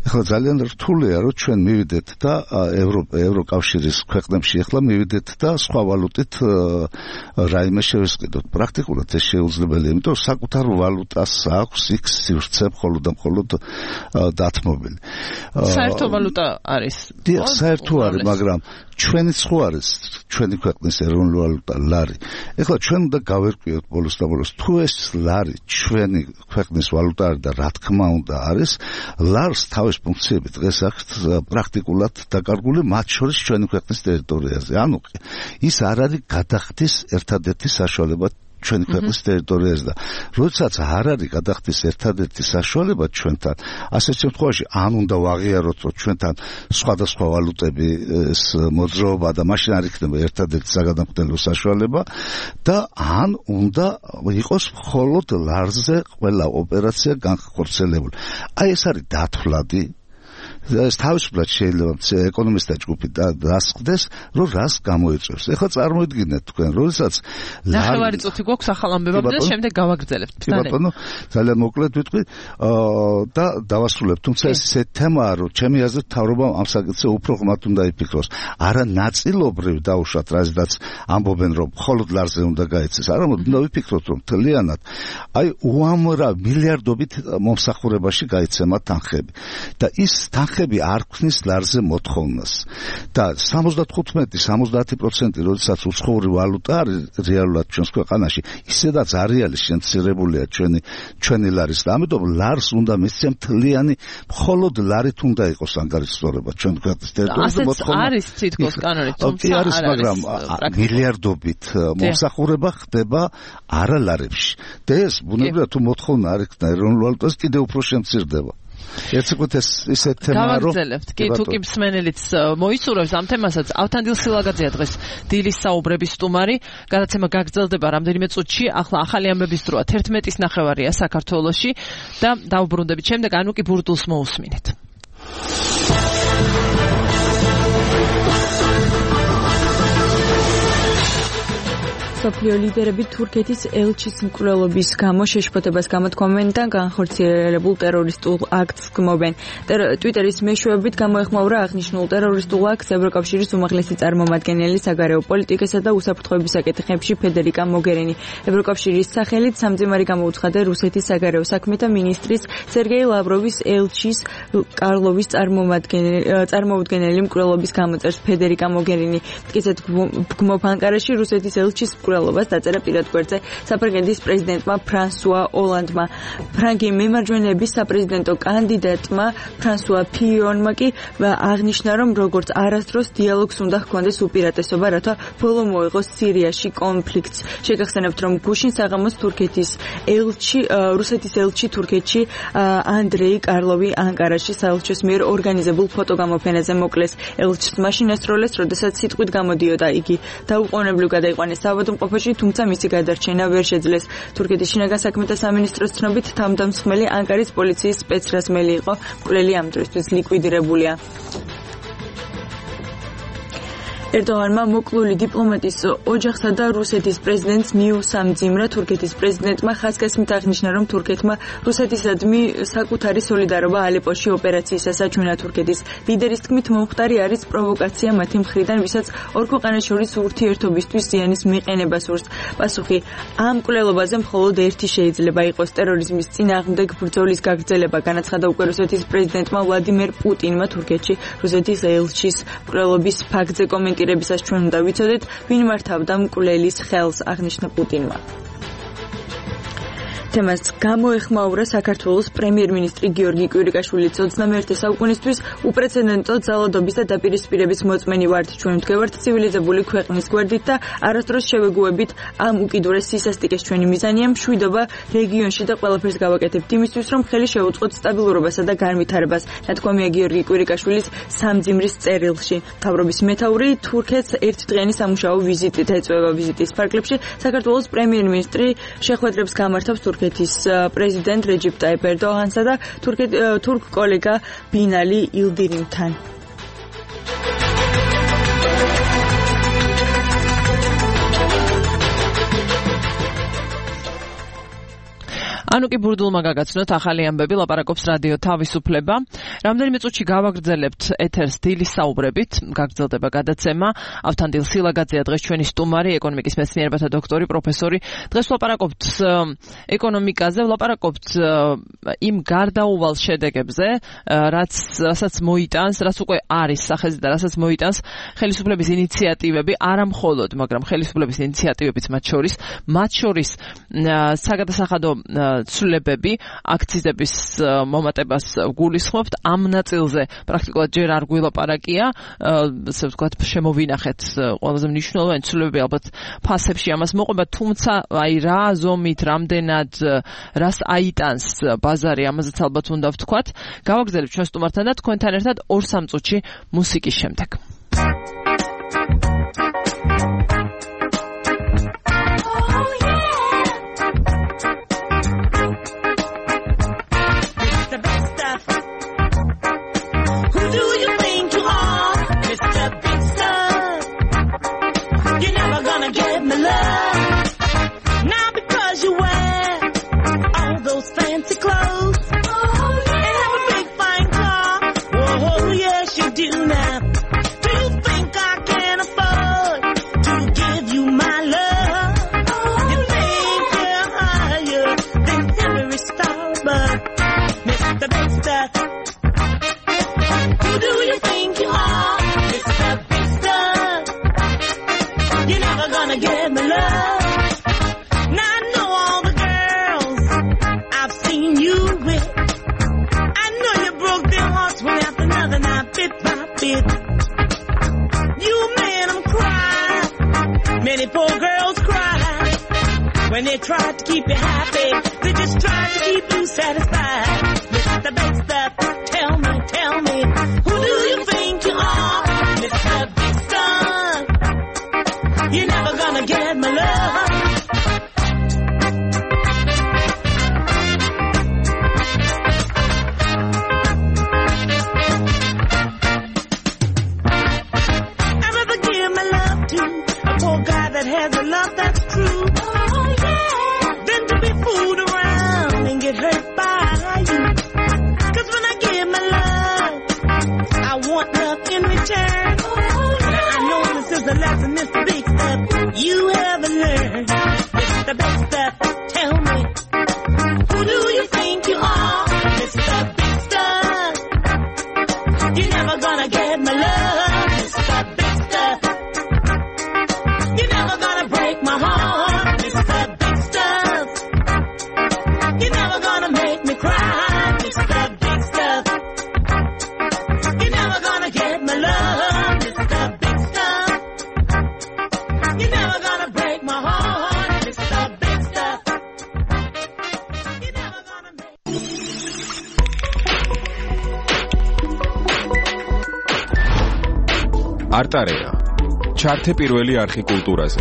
ეხლა ძალიან რთულია, რომ ჩვენ მივიდეთ და ევროკავშირის ქვეყნებში ახლა მივიდეთ და სხვა ვალუტით რაიმე შევესყიდოთ. პრაქტიკულად ეს შეუძლებელია, იმიტომ რომ საკუთარ ვალუტას აქვს იქ სივრცე მხოლოდ და მხოლოდ დათმობილი. საერთო ვალუტა არის. დიახ, საერთო არის, მაგრამ ჩვენი ხო არის, ჩვენი ქვეყნის ეროვნული ვალუტა ლარი. ეხლა ჩვენ უნდა გავერკვიოთ ბოლოს და ბოლოს, თუ ეს ლარი ჩვენი ქვეყნის ვალუტა არის და რა თქმა უნდა არის, ლარს თავის ფუნქციები დღეს აქვს პრაქტიკულად დაკარგული, მათ შორის ჩვენი ქვეყნის ტერიტორიაზე. ანუ ის არ არის გადახდის ერთადერთი საშუალება ჩვენი ქვეყნის ტერიტორიაზე და როდესაც არ არის გადახდის ერთადერთი საშუალება ჩვენთან, ასეთ შემთხვევაში ან უნდა ვაღიაროთ, რომ ჩვენთან სხვადასხვა ვალუტების მოძრაობა და მაშინ არ იქნება ერთადერთი საგანმანათლებლო საშუალება და ან უნდა იყოს მხოლოდ ლარზე ყველა ოპერაცია განხორციელებული. აი ეს არის დათვლადი ეს თავისუფლად შეიძლება ეკონომისტთა ჯგუფი დასხდეს, რომ რას გამოიწვევს. ეხლა წარმოიდგინეთ თქვენ, როდესაც ნახევარი წუთი გვაქვს ახალ ამბებამდე და შემდეგ გავაგრძელებთ. კი ბატონო, ძალიან მოკლედ ვიტყვი და დავასრულებ. თუმცა ეს ისეთი თემაა, რომ ჩემი აზრით მთავრობამ ამ საკითხზე უფრო ღრმად უნდა იფიქროს. არა ნაწილობრივ დაუშვათ, რაზედაც ამბობენ, რომ მხოლოდ ლარზე უნდა გაეცეს. არამედ უნდა ვიფიქროთ, რომ მთლიანად აი უამრავ მილიარდობით მომსახურებაში გაიცემა თანხები. და ის თანხები არ ქმნის ლარზე მოთხოვნას. და სამოცდათხუთმეტი სამოცდაათი პროცენტი როდესაც უცხოური ვალუტა არის რეალურად ჩვენს ქვეყანაში, ისედაც არეალი შემცირებულია ჩვენი ჩვენი ლარის და ამიტომ ლარს უნდა მისცემ მთლიანი მხოლოდ ლარით უნდა იყოს ანგარიშსწორება ჩვენ ქვეყნის ტერიტორიაზე მოთხოვნა. არის თითქოს კანონით, თუმცა არის, მაგრამ მილიარდობით მომსახურება ხდება არა ლარებში. და ეს ბუნებრივია თუ მოთხოვნა არ იქნება ეროვნულ ვალუტას კიდევ უფრო შემცირდება. ეცეკოთ ეს ისეთ თემაა რომ გავაგრძელებთ. კი, თუ კი მსმენელიც მოისურვებს ამ თემასაც, ავთანდილ სილაგაძეა დღეს დილის საუბრების სტუმარი. გადაცემა გაგრძელდება რამდენიმე წუთში. ახლა ახალი ამბების დროა თერთმეტის ნახევარია საქართველოში და დავბრუნდებით შემდეგ ანუკი ბურდულს მოусმინეთ. სოფლიო ლიდერები თურქეთის ელჩის მკვლელობის გამო შეშფოთებას გამოთქვამენ და განხორციელებულ ტერორისტულ აქტს გმობენ. ტვიტერის მეშვეობით გამოეხმაურა აღნიშნულ ტერორისტულ აქტს ევროკავშირის უმაღლესი წარმომადგენელი საგარეო პოლიტიკასა და უსაფრთხოების საკითხებში ფედერიკა მოგერინი. ევროკავშირის სახელით სამძიმარი გამოუცხადა რუსეთის საგარეო საქმეთა მინისტრის სერგეი ლავროვის ელჩის კარლოვის წარმოუდგენელი მკვლელობის გამოწერს ფედერიკა მოგერინი. ისეთ გმობ ანკარაში რუსეთის ელჩის მკვლელობას დაწერა პირად გვერდზე საფრანგეთის პრეზიდენტმა ფრანსუა ოლანდმა. ფრანგი მემარჯვენეების საპრეზიდენტო კანდიდატმა ფრანსუა ფიიონმა კი აღნიშნა, რომ როგორც არასდროს დიალოგს უნდა ჰქონდეს უპირატესობა, რათა ბოლო მოეღოს სირიაში კონფლიქტს. შეგახსენებთ, რომ გუშინ საღამოს თურქეთის ელჩი, რუსეთის ელჩი თურქეთში ანდრეი კარლოვი ანკარაში საელჩოს მიერ ორგანიზებულ ფოტოგამოფენაზე მოკლეს. ელჩს მაშინ ესროლეს, როდესაც სიტყვით გამოდიოდა იგი დაუყოვნებლივ გადაიყვანეს ავადმყოფოში, თუმცა მისი გადარჩენა ვერ შეძლეს. თურქეთის შინაგან საქმეთა სამინისტროს ცნობით, თავდამსხმელი ანკარის პოლიციის სპეცრაზმელი იყო. მკვლელი ამ დროისთვის ლიკვიდირებულია. ერდოღანმა მოკლული დიპლომატის ოჯახსა და რუსეთის პრეზიდენტს მიუსამძიმრა. თურქეთის პრეზიდენტმა ხასკესმით აღნიშნა, რომ თურქეთმა რუსეთისადმი საკუთარი სოლიდარობა ალეპოში ოპერაციისას აჩვენა. თურქეთის ლიდერის თქმით, მომხდარი არის პროვოკაცია მათი მხრიდან, ვისაც ორ ქვეყანას შორის ურთიერთობისთვის ზიანის მიყენება სურს. პასუხი ამ მკვლელობაზე მხოლოდ ერთი შეიძლება იყოს ტერორიზმის წინააღმდეგ ბრძოლის გაგრძელება, განაცხადა უკვე რუსეთის პრეზიდენტმა ვლადიმერ პუტინმა თურქეთში რუსეთის ელჩის მკვლელობის ფაქტზე კომენტირებისას. ჩვენ უნდა ვიცოდეთ, ვინ მართავდა მკვლელის ხელს, აღნიშნა პუტინმა. თემას გამოეხმაურა საქართველოს პრემიერ-მინისტრი გიორგი კვირიკაშვილიც. ოცდამეერთე საუკუნისთვის უპრეცედენტო ძალადობის და დაპირისპირების მოწმენი ვართ. ჩვენ ვდგევართ ცივილიზებული ქვეყნის გვერდით და არასდროს შევეგუებით ამ უკიდურეს სისასტიკეს. ჩვენი მიზანია მშვიდობა რეგიონში და ყველაფერს გავაკეთებთ იმისთვის, რომ ხელი შეუწყოთ სტაბილურობასა და განვითარებას. ნათქვამია გიორგი კვირიკაშვილის სამძიმრის წერილში. მთავრობის მეთაური თურქეთს ერთდღიანი სამუშაო ვიზიტით ეწვევა. ვიზიტის ფარგლებში საქართველოს პრემიერ-მინისტრი შეხვედრებს გამართავს თურქეთის პრეზიდენტ რეჯიპ ტაიპ ერდოღანსა და თურქ კოლეგა ბინალი ილდირიმთან. ანუკი ბურდულმა გაგაცნოთ ახალი ამბები, ლაპარაკობს რადიო თავისუფლება. რამდენიმე წუთში გავაგრძელებთ ეთერს დილის საუბრებით, გაგრძელდება გადაცემა. ავთანდილ სილაგაძეა დღეს ჩვენი სტუმარი, ეკონომიკის მეცნიერებათა დოქტორი, პროფესორი. დღეს ვლაპარაკობთ ეკონომიკაზე, ვლაპარაკობთ იმ გარდაუვალ შედეგებზე, რაც რასაც მოიტანს, რაც უკვე არის სახეზე და რასაც მოიტანს ხელისუფლების ინიციატივები, არა მხოლოდ, მაგრამ ხელისუფლების ინიციატივებიც მათ შორის, მათ შორის საგადასახადო ცვლილებები, აქციზების მომატებას გულისხმობთ. ამ ნაწილზე პრაქტიკულად ჯერ არ გვილაპარაკია, ასე ვთქვათ, შემოვინახეთ ყველაზე მნიშვნელოვანი ცვლილებები ალბათ ფასებში ამას მოყვება, თუმცა აი რა ზომით, რამდენად, რას აიტანს ბაზარი, ამაზეც ალბათ უნდა ვთქვათ. გავაგრძელებთ ჩვენ სტუმართან და თქვენთან ერთად ორ სამ წუთში მუსიკის შემდეგ. Who tried to keep you happy. They just tried to keep you satisfied. Mister Big Stuff, tell me, tell me, who do you think you are? Mister Big Stuff, you're never gonna get my love. That has a love that's true. Oh, yeah. Then to be fooled around and get hurt by you. Cause when I give my love, I want love in return. Oh, yeah. Now I know this is a lesson, Mister Big Stuff, you haven't learned. Mister Big Stuff, tell me, who do you think you are? Mister Big Stuff, you're never gonna get my love. Mister Big Stuff, you're never gonna break my heart, Mister Big Stuff. You're never gonna make me cry, Mister Big Stuff. You're never gonna get my love, Mister Big Stuff. You're never gonna break my heart, Mister Big Stuff. You're never gonna make არტარეა ჩართე პირველი არხი კულტურაზე.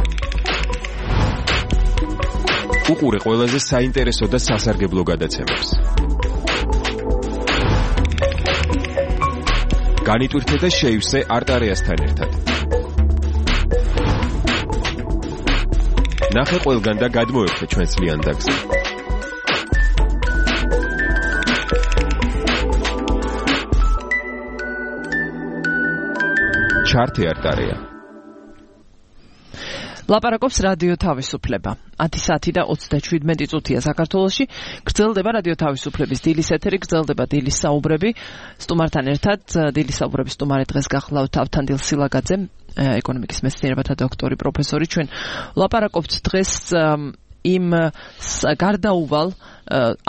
უყურე ყველაზე საინტერესო და სასარგებლო გადაცემებს. განიტვირთე და შეივსე არტარეასთან ერთად. ნახე ყველგან და გადმოერთე ჩვენს ლიანდაგზე. ჩართე არტარეა. ლაპარაკობს რადიო თავისუფლება. ათი საათი და ოცდაშვიდმეტი წუთია საქართველოში. გრძელდება რადიო თავისუფლების დილის ეთერი, გრძელდება დილის საუბრები. სტუმართან ერთად დილის საუბრების სტუმარი დღეს გახლავთ ავთანდილ სილაგაძე, ეკონომიკის მეცნიერებათა დოქტორი, პროფესორი. ჩვენ ლაპარაკობთ დღეს იმ გარდაუვალ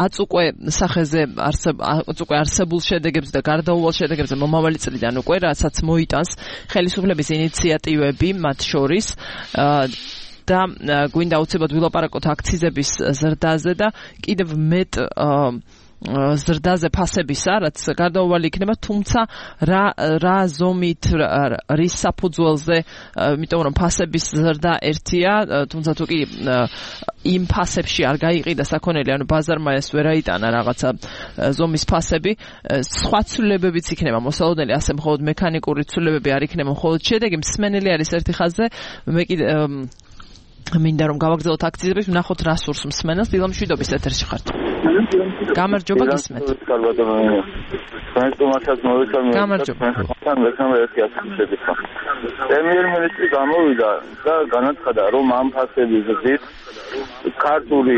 აც უკვე სახეზე უკვე არსებულ შედეგებს და გარდაუვალ შედეგებს მომავალი წლიდან უკვე რასაც მოიტანს ხელისუფლების ინიციატივები მათ შორის და გვინდა უცებად ვილაპარაკოთ აქციზების ზრდაზე და კიდევ მეტ ზრდაზე ფასებისა, რაც გარდაუვალი იქნება, თუმცა რა რა ზომით რის საფუძველზე, იმიტომ რომ ფასების ზრდა ერთია, თუმცა თუ კი იმ ფასებში არ გაიყიდა საქონელი, ანუ ბაზარმა ეს ვერ აიტანა რაღაცა ზომის ფასები, სხვა ცვლილებებიც იქნება მოსალოდნელი, ასე მხოლოდ მექანიკური ცვლილებები არ იქნება, მხოლოდ შედეგი მსმენელი არის ერთი ხაზზე, მე კიდე მინდა რომ გავაგრძელოთ აქციზების, ვნახოთ რა სურს მსმენელს. დილამშვიდობის ეთერში ხართ. გამარჯობა გისმენთ. გამარჯობა. პრემიერ-მინისტრი გამოვიდა და განაცხადა, რომ ამ ფასების ზრდით ქართული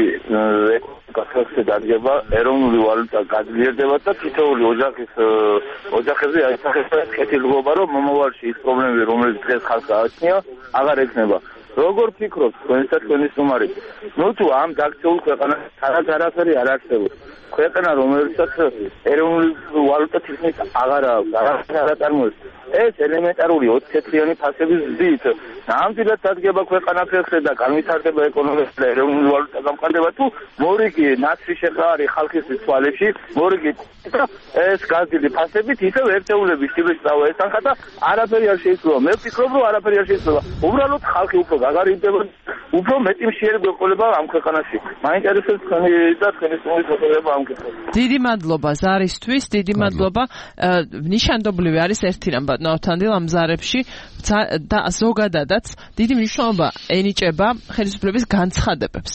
ეკონომიკა დადგება, ეროვნული ვალუტა გაძლიერდება და თითოეული ოჯახის ოჯახებზე აისახება კეთილდღეობა, რომ მომავალში ის პრობლემები, რომელიც დღეს ხალხს გააჩნია, აღარ ექნება. როგორ ფიქრობთ თქვენსა თქვენი სტუმარი? ნუ თუ ამ დაქცეულ ქვეყანას არაფერი არ არსებობს. ქვეყანა რომელსაც ეროვნული ვალუტა თითქმის აღარ აქვს, არაფერი არ აწარმოებს. ეს ელემენტარული ოცდაათწლიანი ფასების ზრდით ნამდვილად დადგება ქვეყანა ფეხზე და განვითარდება ეკონომიკა და ეროვნული ვალუტა გამყარდება თუ მორიგი ნაცრი შეყარი ხალხის თვალებში, მორიგი ეს გაზრდილი ფასებით ისევ ერთეულების ტიპის წავა ესახა და არაფერი არ შეიძლება. მე ვფიქრობ, რომ არაფერი არ შეიძლება. უბრალოდ ხალხი უფრო გაგარიდება, უფრო მეტი მშიერება ეყოლება ამ ქვეყანაში. მაინტერესებს თქვენი და თქვენი სტუმრის მოწოდება ამ კითხვაზე. დიდი მადლობა ზარისთვის, დიდი მადლობა. ნიშანდობლივი არის ერთი რამბა ნავთანდილ ამ ზარებში და ზოგადადაც დიდი მნიშვნელობა ენიჭება ხელისუფლების განცხადებებს.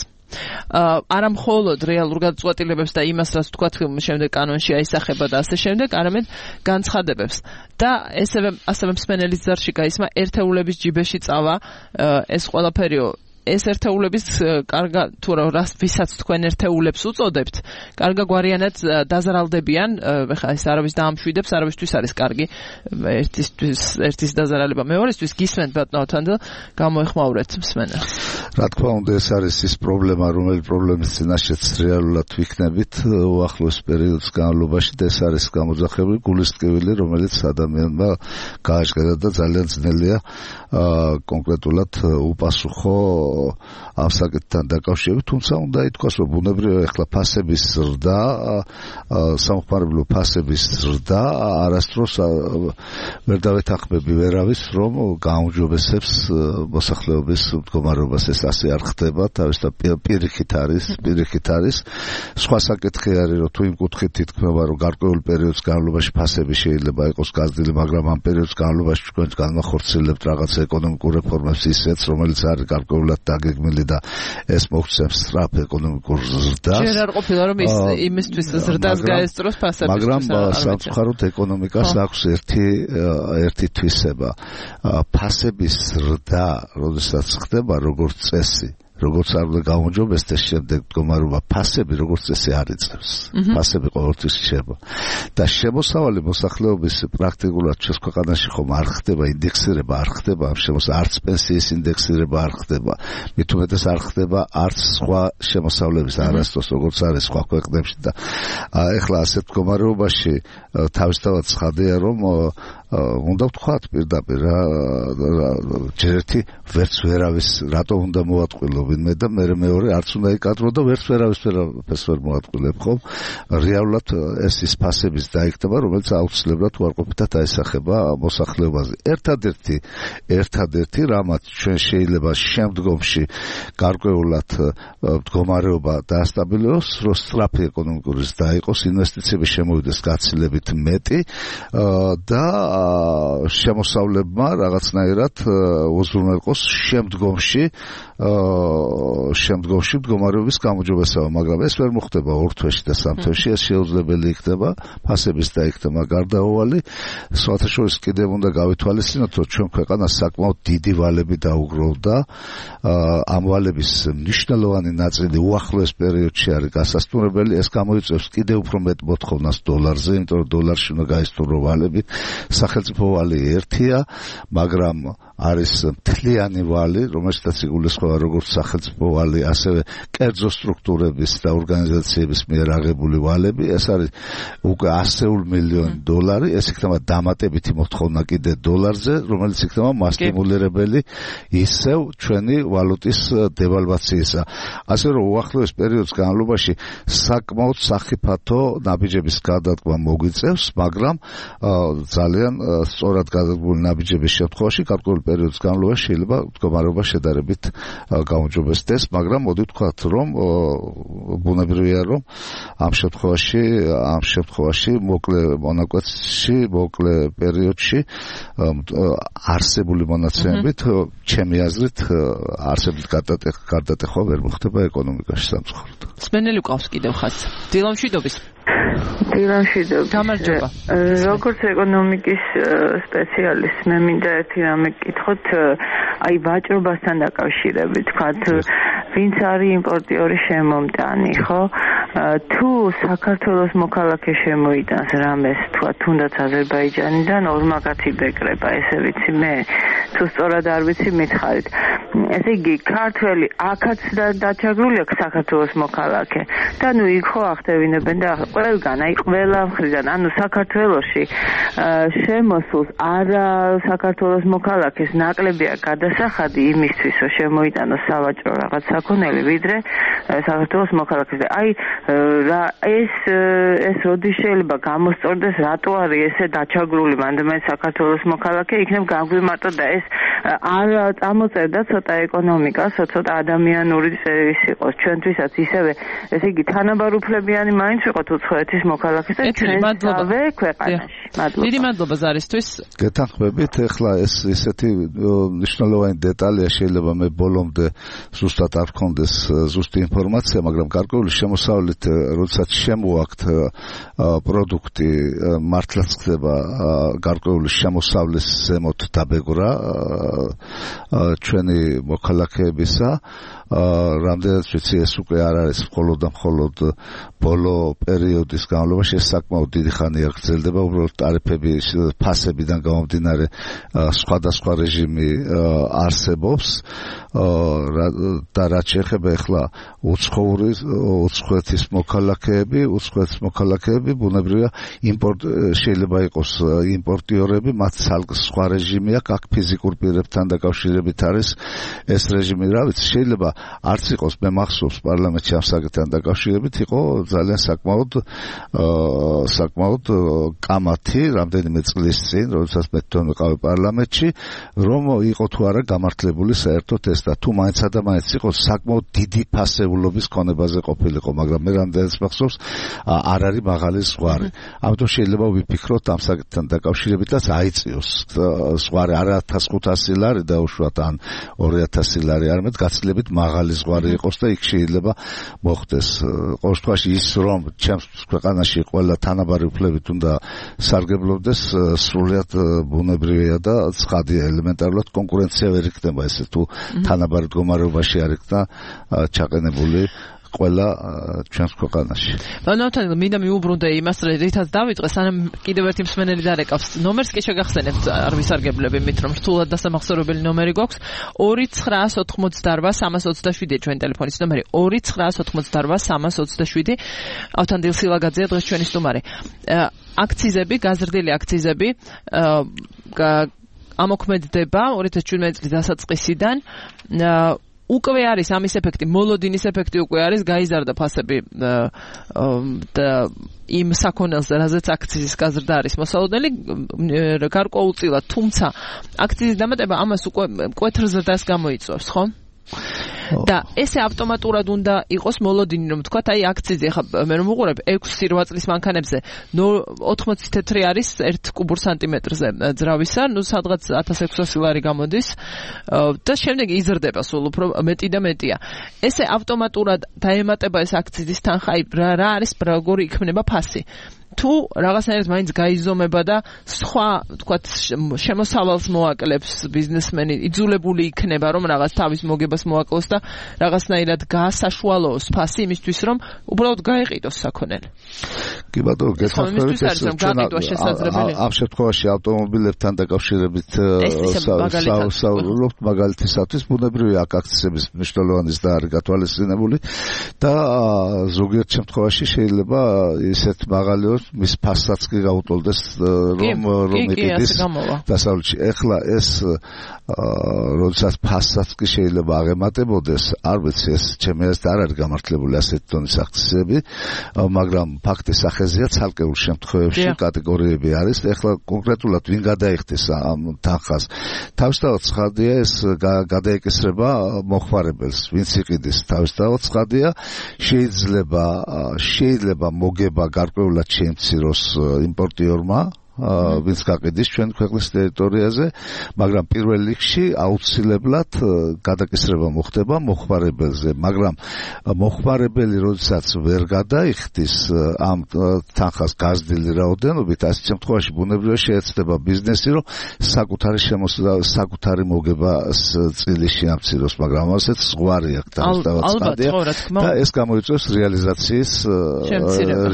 არა მხოლოდ რეალურ გადაწყვეტილებებს და იმას, რაც თქვა შემდეგ კანონში აისახება და ასე შემდეგ, არამედ განცხადებებს. და ესევე ასევე მსმენელის ზარში გაისმა ერთეულების ჯიბეში წავა, ეს ყველაფერიო ეს ერთეულების კარგა თუ რას ვისაც თქვენ ერთეულებს უწოდებთ, კარგა გვარიანად დაზარალდებიან, ეხლა ეს არავის დაამშვიდებს, არავისთვის არის კარგი ერთისთვის ერთის დაზარალება მეორესთვის. გისმენთ ბატონთან და გამოეხმაურეთ მსმენელს. რა თქმა უნდა, ეს არის ის პრობლემა, რომელი პრობლემის წინაშეც რეალურად ვიქნებით უახლოს პერიოდის განმავლობაში და ეს არის გამოძახებული გულისტკივილი, რომელიც ადამიანმა გააჩნდა და ძალიან ძნელია კონკრეტულად უპასუხო ამ საკითხთან დაკავშირებით, თუმცა უნდა ითქვას, რომ ბუნებრივია ახლა ფასების ზრდა, სამხმარებლო ფასების ზრდა არასდროს ვერ დავეთანხმები ვერავის, რომ გაუმჯობესებს მოსახლეობის მდგომარეობას. ეს ასე არ ხდება, თავისთავად პირიქით არის, პირიქით არის. სხვა საკითხი არის, რომ თუ იმ კუთხით ითქმება, რომ გარკვეულ პერიოდის განმავლობაში ფასები შეიძლება იყოს გაზრდილი, მაგრამ ამ პერიოდის განმავლობაში თქვენ განახორციელებთ რაღაც ეკონომიკურ რეფორმებს ისეთ, რომელიც არის გარკვეულად დაგეგმილი და ეს მოგცემს სწრაფ ეკონომიკურ ზრდას. ჯერ არ ყოფილა, რომ ის იმისთვის ზრდას გაესწროს ფასებისთვის. მაგრამ სამწუხაროდ ეკონომიკას აქვს ერთი ერთი თვისება. ფასების ზრდა, როდესაც ხდება როგორც წესი, როგორც არ უნდა გაუმჯობესდეს შემდეგ მდგომარეობა, ფასები როგორც წესი არ იწევს. ფასები ყოველთვის რჩება. და შემოსავალი მოსახლეობის პრაქტიკულად ჩვენს ქვეყანაში ხომ არ ხდება ინდექსირება, არ ხდება ამ შემოსავლის, არც პენსიის ინდექსირება არ ხდება. მით უმეტეს არ ხდება არც სხვა შემოსავლების არასდროს როგორც არის სხვა ქვეყნებში და ეხლა ასეთ მდგომარეობაში თავისთავად ცხადია, რომ უნდა ვთქვათ პირდაპირ რა ჯერ ერთი ვერც ვერავის რატო უნდა მოატყვილო ვინმე და მე მეორე არც უნდა იკადრო და ვერც ვერავის ვერაფერს ვერ მოატყვილებ ხომ რეალურად ეს ის ფასების დაიქნება რომელიც აუცილებლად უარყოფითად აისახება მოსახლეობაზე ერთადერთი ერთადერთი რამაც ჩვენ შეიძლება შემდგომში გარკვეულად მდგომარეობა დაასტაბილოს რომ სწრაფი ეკონომიკური ზრდა იყოს ინვესტიციები შემოვიდეს გაცილებით მეტი და შემოსავლებმა რაღაცნაირად უზრუნველყოს შემდგომში შემდგომში მდგომარეობის გამოჯობესება, მაგრამ ეს ვერ მოხდება ორ თვეში და სამ თვეში, ეს შეუძლებელი იქნება ფასების დაიქნება გარდაუვალი. სხვათა შორის კიდევ უნდა გავითვალისწინოთ, რომ ჩვენ ქვეყანას საკმაოდ დიდი ვალები დაუგროვდა. ამ ვალების მნიშვნელოვანი ნაწილი უახლოეს პერიოდში არის გასასტურებელი, ეს გამოიწვევს კიდევ უფრო მეტ მოთხოვნას დოლარზე, იმიტომ რომ დოლარში უნდა გაისტუმრო ვალები. სახელმწიფო ვალი ერთია, მაგრამ არის მთლიანი ვალი, რომელშიც იგულისხმება როგორც სახელმწიფო ვალი, ასევე კერძო სტრუქტურების და ორგანიზაციების მიერ აღებული ვალები. ეს არის უკვე ასეულ მილიონი დოლარი, ეს იქნება დამატებითი მოთხოვნა კიდე დოლარზე, რომელიც იქნება მასტიმულირებელი ისევ ჩვენი ვალუტის დევალვაციისა. ასე რომ უახლოეს პერიოდის განმავლობაში საკმაოდ სახიფათო ნაბიჯების გადადგმა მოგვიწევს, მაგრამ ძალიან სწორად გადადგმული ნაბიჯების შემთხვევაში გარკვეული პერიოდის განმავლობაში შეიძლება მდგომარეობა შედარებით გაუმჯობესდეს, მაგრამ მოდი ვთქვათ, რომ ბუნებრივია, რომ ამ შემთხვევაში, ამ შემთხვევაში მოკლე მონაკვეთში, მოკლე პერიოდში არსებული მონაცემებით, ჩემი აზრით, არსებით გარდატეხვა ვერ მოხდება ეკონომიკაში სამწუხაროდ. სმენელი ყავს კიდევ ხაზს. დილამშვიდობის. დილამშვიდობის. გამარჯობა. როგორც ეკონომიკის სპეციალისტ, მე მინდა ერთი რამე გკითხოთ, აი ვაჭრობასთან დაკავშირებით, თქვათ, ვინც არის იმპორტიორი შემომტანი, ხო? თუ საქართველოს მოქალაქე შემოიტანს რამეს, თქვათ, თუნდაც აზერბაიჯანიდან ორმაგათი ბეკრება, ესე ვიცი მე, თუ სწორად არ ვიცი, მითხარით. ესე იგი, ქართველი აქაც დაჩაგრული აქვს საქართველოს მოქალაქე და ნუ იქ ხო ახდევინებენ და ყველგან, აი ყველა მხრიდან, ანუ საქართველოში შემოსულს არა საქართველოს მოქალაქეს ნაკლებია გადასახადი იმისთვის, რომ შემოიტანოს სავაჭრო რაღაც საქონელი, ვიდრე საქართველოს მოქალაქეს. აი რა ეს ეს როდის შეიძლება გამოსწორდეს, რატო არის ესე დაჩაგრული მანდ საქართველოს მოქალაქე, იქნებ გამგვიმარტო და ეს არ წამოწერდა ცოტა ეკონომიკას, ცოტა ადამიანური წერის იყოს ჩვენთვისაც ისევე, ესე იგი თანაბარუფლებიანი მაინც ვიყოთ უცხოეთის მოქალაქეს და ჩვენსავე ქვეყანაში. მადლობა. დიდი მადლობა ზარისთვის. გეთანხმებით, ეხლა ეს ესეთი მნიშვნელოვანი დეტალია შეიძლება მე ბოლომდე ზუსტად არ ვქონდეს ზუსტი ინფორმაცია, მაგრამ გარკვეული შემოსავლით, როდესაც შემოაქვთ პროდუქტი, მართლაც ხდება გარკვეული შემოსავლის ზემოთ დაბეგრა ჩვენი მოქალაქეებისა, რამდენად ვიცი ეს უკვე არ არის მხოლოდ და მხოლოდ ბოლო პერიოდის განმავლობაში, ეს საკმაოდ დიდი ხანია გრძელდება, უბრალოდ ტარიფები ფასებიდან გამომდინარე სხვადასხვა რეჟიმი არსებობს და რაც შეეხება ახლა უცხოური უცხოეთის მოქალაქეები, უცხოეთის მოქალაქეები ბუნებრივია იმპორტ შეიძლება იყოს იმპორტიორები, მათ სხვა რეჟიმი აქვს, აქ ფიზიკურ პირებთან დაკავშირებით არის ეს რეჟიმი, რა ვიცი, შეიძლება არც იყოს, მე მახსოვს პარლამენტში ამ საკითხთან დაკავშირებით იყო ძალიან საკმაოდ საკმაოდ კამათი რამდენიმე წლის წინ, როდესაც მე თვითონ ვიყავი პარლამენტში, რომ იყო თუ არა გამართლებული საერთოდ ეს და თუ მაინცა და მაინც იყო საკმაოდ დიდი ფასეულობის ქონებაზე ყოფილიყო, მაგრამ მე რამდენიც მახსოვს არ არის მაღალი ზღვარი. ამიტომ შეიძლება ვიფიქროთ ამ საკითხთან დაკავშირებითაც აიწიოს ზღვარი არა ათას ხუთასი ლარი დაუშვათ ან ორი ათასი ლარი, არამედ გაცილებით მაღალი ზღვარი იყოს და იქ შეიძლება მოხდეს. ყოველ შემთხვევაში ის რომ ჩემს ქვეყანაში ყველა თანაბარი უფლებით უნდა სარგებლობდეს, სრულიად ბუნებრივია და ცხადია, ელემენტარულად კონკურენცია ვერ იქნება ესე თუ თანაბარ მდგომარეობაში არ იქნა ჩაყენებული ყველა ჩვენს ქვეყანაში. ბანავთან მინდა მიუბრუნდე იმას, რითაც დავიწყე, სანამ კიდევ ერთი მსმენელი დარეკავს. ნომერს კი შეგახსენებთ, არ ვისარგებლები მით, რომ რთულად დასამახსოვრებელი ნომერი გვაქვს. ორი ცხრაას ოთხმოცდაარბა სამას ოცდაშვიდი ჩვენი ტელეფონის ნომერი. ორი ცხრაას ოთხმოცდაარბა სამას ოცდაშვიდი. ავთანდილ სილაგაძეა დღეს ჩვენი სტუმარი. აქციზები, გაზრდილი აქციზები ამოქმედდება ორი ათას შვიდმეტი წლის დასაწყისიდან. უკვე არის ამის ეფექტი, მოლოდინის ეფექტი უკვე არის, გაიზარდა ფასები და იმ საქონელზე, რაზეც აქციზის გაზრდა არის მოსალოდნელი, გარკვეულწილად, თუმცა აქციზის დამატება ამას უკვე მკვეთრ ზრდას გამოიწვევს, ხო? და ესე ავტომატურად უნდა იყოს მოლოდინი, რომ თქვათ, აი აქციზი, ახლა მე რომ უყურებ ექვსი რვა წლის მანქანებზე ოთხმოცი თეთრი არის ერთ კუბურ სანტიმეტრზე ძრავისა, ნუ სადღაც ათას ექვსასი ლარი გამოდის და შემდეგ იზრდება სულ უფრო მეტი და მეტია. ესე ავტომატურად დაემატება ეს აქციზის თანხა, აი რა არის, როგორი იქნება ფასი. თუ რაღაცნაირად მაინც გაიზომება და სხვა, თქვათ, შემოსავალს მოაკლებს ბიზნესმენი, იძულებული იქნება, რომ რაღაც თავის მოგებას მოაკლოს და რაღაცნაირად გაასაშუალოს ფასი იმისთვის, რომ უბრალოდ გაეყიდოს საქონელი. კი ბატონო, გესახმებით ეს ამ შემთხვევაში ავტომობილებთან დაკავშირებით საუბრობთ მაგალითისათვის, ბუნებრივია აქ აქციზების მნიშვნელოვანის და არის გათვალისწინებული და ზოგიერთ შემთხვევაში შეიძლება ისეთ მაღალი მის ფასაც კი გაუტოლდეს რომ რომ იყიდეს დასავლეთში. ეხლა ეს როდესაც ფასაც კი შეიძლება აღემატებოდეს, არ ვიცი, ეს ჩემი აზრით არ არის გამართლებული ასეთი ტონის აქციზები, მაგრამ ფაქტი სახეზეა, ცალკეულ შემთხვევებში კატეგორიები არის. ეხლა კონკრეტულად ვინ გადაიხდის ამ თანხას, თავისთავად ცხადია ეს გადაეკისრება მოხმარებელს, ვინც იყიდის, თავისთავად ცხადია, შეიძლება შეიძლება მოგება გარკვეულად შეიმციროს იმპორტიორმა, ვინც გაყიდის ჩვენ ქვეყნის ტერიტორიაზე, მაგრამ პირველ რიგში აუცილებლად გადაკისრება მოხდება მოხმარებელზე, მაგრამ მოხმარებელი როდესაც ვერ გადაიხდის ამ თანხას გაზრდილი რაოდენობით, ასეთ შემთხვევაში ბუნებრივია შეეცდება ბიზნესი, რომ საკუთარი შემოსავლა, საკუთარი მოგება წილი შეამციროს, მაგრამ ასეც ზღვარი აქვს თავისთავად ცხადია და ეს გამოიწვევს რეალიზაციის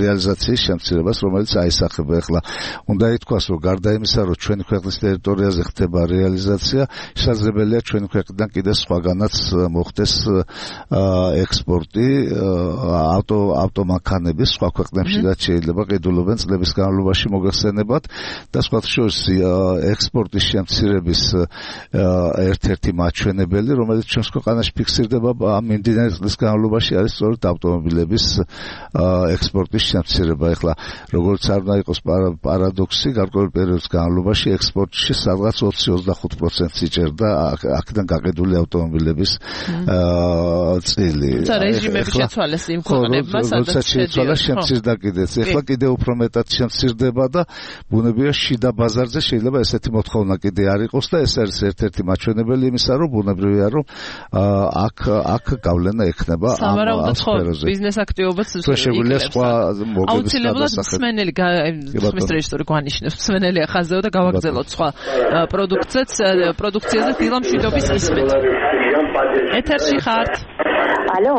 რეალიზაციის შემცირებას, რომელიც აისახება ახლა. უნდა ითქვას, რომ გარდა იმისა, რომ ჩვენი ქვეყნის ტერიტორიაზე ხდება რეალიზაცია, შესაძლებელია ჩვენი ქვეყნიდან კიდე სხვაგანაც მოხდეს ექსპორტი ავტო ავტომანქანების სხვა ქვეყნებშიც შეიძლება ყიდულობენ წლების განმავლობაში მოგეხსენებათ და სხვათა შორის ექსპორტის შემცირების ერთ-ერთი მაჩვენებელი, რომელიც ჩვენს ქვეყანაში ფიქსირდება ამ მიმდინარე წლის განმავლობაში, არის სწორედ ავტომობილების ექსპორტის შემცირება. ეხლა როგორც არ უნდა იყოს პარადოქსი, გარკვეულ პერიოდის განმავლობაში ექსპორტში სადღაც ოცი ოცდახუთ პროცენტს იჭერდა აქედან გაყიდული ავტომობილების წილი. თუმცა რეჟიმები შეცვალეს იმ ქვეყნებმა, სადაც შეცვალა, შემცირდა კიდეც. ეხლა კიდევ უფრო მეტად შემცირდება და ბუნებრივია შიდა ბაზარზე შეიძლება ესეთი მოთხოვნა კიდე არ იყოს და ეს არის ერთ-ერთი მაჩვენებელი იმისა, რომ ბუნებრივია, რომ აქ აქ გავლენა ექნება ამ სფეროზე. ბიზნეს აქტივობაც შეგვიძლია სხვა მოგების აუცილებლად მსმენელი ხმის რეჟისორი გვანიშნებს, მსმენელი ახაზეო და გავაგრძელოთ სხვა პროდუქციებს, პროდუქციაზე დილა მშვიდობის ისმეთ. ეთერში ხართ. ალო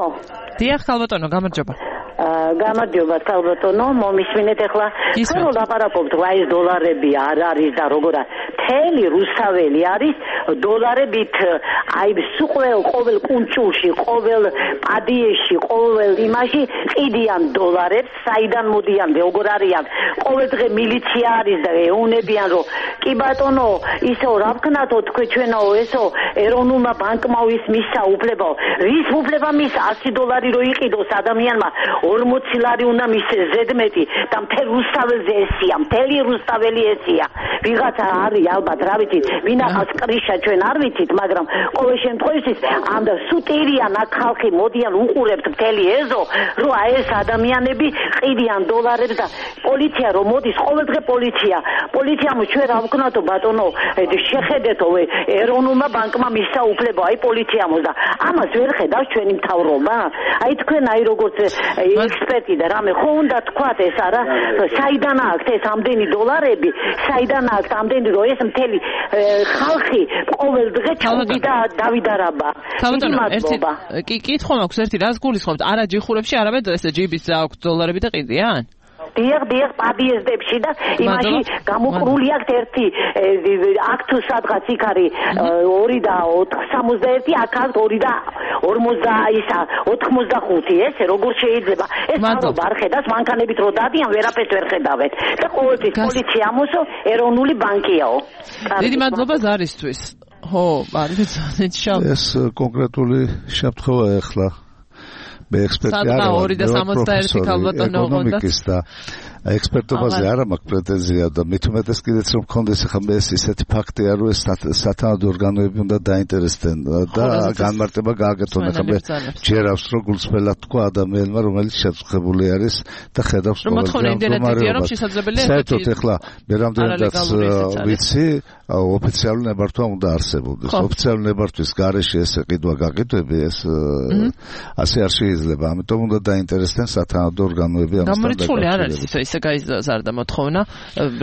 დიახ ხალბატონო გამარჯობა გამარჯობა ხალბატონო მომისმინეთ ახლა ხო ლაპარაკობთ რა ეს დოლარები არ არის და როგორ თელი რუსთაველი არის დოლარებით აი სულ ყოველ კუნჭულში ყოველ პადიეში ყოველ იმაში ყიდიან დოლარებს საიდან მოდიან როგორ არიან ყოველ დღე მილიცია არის და ეუნებიან რომ კი ბატონო ისო რა ვქნათო თქვენ ჩვენო ესო ეროვნულმა ბანკმა ვის მისცა უფლება რის უფლება მის ასი დოლარი რო იყიდოს ადამიანმა ორმოცი ლარი უნდა მისცეს ზედმეტი და მთელ რუსთაველზე ესია მთელი რუსთაველი ესია ვიღაცა არის ალბათ რა ვიცით ვინახავს კრიშა ჩვენ არ ვიცით მაგრამ ყოველ შემთხვევაში ამ სუტირიან აქ ხალხი მოდიან უყურებთ მთელი ეზო რომ აი ეს ადამიანები ყიდიან დოლარებს და პოლიცია რომ მოდის ყოველდღე პოლიცია პოლიციამ ჩვენ რა ვქნათო ბატონო შეხედეთო ეროვნულმა ბანკმა მისცა უფლება აი პოლიციამ და ამას ვერ ხედავს ჩვენი მთავრობა აი თქვენ აი როგორც ექსპერტი და რამე ხო უნდა თქვათ ეს არა საიდან აქვს ეს ამდენი დოლარები საიდან აქვს ამდენი რომ ეს მთელი ხალხი ყოველ დღე ჩავდი და დავიდარაბა ერთი კი კითხვა მაქვს ერთი რას გულისხმობთ არა ჯიხურებში არამედ ესე ჯიბის აქვს დოლარები და ყიდიან დიახ დიახ პადიეზდებში და იმაში გამოყრული აქვს ერთი აქ თუ სადღაც იქ არის ორი და სამოცდაერთი აქ აქვს ორი და ორმოცდა ოთხმოცდახუთი ესე როგორ შეიძლება ეს თავობა არ ხედავს მანქანებით რო დადიან ვერაფერს ვერ ხედავენ და ყოველთვის პოლიცია ამოსო ეროვნული ბანკიაო დიდი მადლობა ზარისთვის ხო არის ეს კონკრეტული შემთხვევა ახლა მე ექსპერტი არ ვარ ეკონომიკის და ექსპერტობაზე არა მაქვს პრეტენზია და მით უმეტეს კიდეც რომ მქონდეს ახლა მე ეს ისეთი ფაქტია რომ ეს სათანადო ორგანოები უნდა დაინტერესდნენ და განმარტება გააკეთონ ახლა მე ჯერავს რომ გულწრფელად თქვა ადამიანმა რომელიც შეწუხებული არის და ხედავს პრობლემას საერთოდ ახლა მე რამდენადაც ვიცი ოფიციალური ნებართვა უნდა არსებობდეს ოფიციალური ნებართვის გარეშე ეს ყიდვა გაკეთები ეს ასე არ შეიძლება ამიტომ უნდა დაინტერესდნენ სათანადო ორგანოები ამასთან დაკავშირებით გაიზარდა მოთხოვნა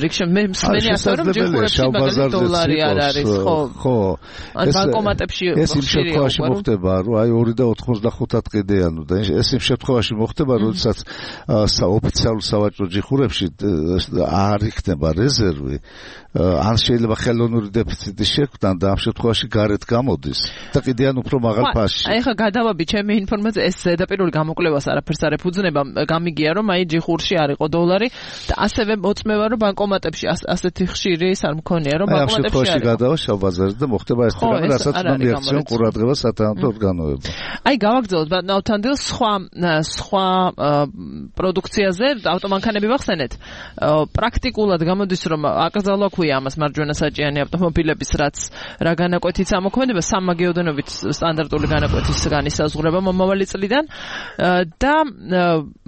რიქშე მე მსმენი ასე რომ ჯიხურებში მაგალითად დოლარი არ არის ხო ხო ან ბანკომატებში ეს იმ შემთხვევაში მოხდება რომ აი ორი და ოთხმოცდახუთად ყიდიან და ეს იმ შემთხვევაში მოხდება როდესაც ოფიციალურ სავაჭრო ჯიხურებში არ იქნება რეზერვი ან შეიძლება ხელოვნური დეფიციტი შექმნა და ამ შემთხვევაში გარეთ გამოდის და კიდიან უფრო მაღალ ფასში. აი ხა გადავაბი ჩემი ინფორმაცია ეს ზედაპირული გამოკვლევას არაფერს არ ეფუძნება გამიგია რომ აი ჯიხურში არ იყო დოლარი და ასევე მოწმევა რომ ბანკომატებში ასეთი ხშირი ის არ მქონია რომ ბანკომატებში არის. აი გადავა შავ ბაზარზე და მოხდება ეს თემა რასაც უნდა მიაქციონ ყურადღება სათანადო ორგანოებმა. აი გავაგრძელოთ ნავთანდილ სხვა სხვა პროდუქციაზე ავტომანქანები ვახსენეთ. პრაქტიკულად გამოდის რომ აკრძალვა ამას მარჯვენა საჭიანი ავტომობილების რაც რა განაკვეთით ამოქმედება სამაგეოდენობით სტანდარტული განაკვეთის განისაზღვრება მომავალი წლიდან და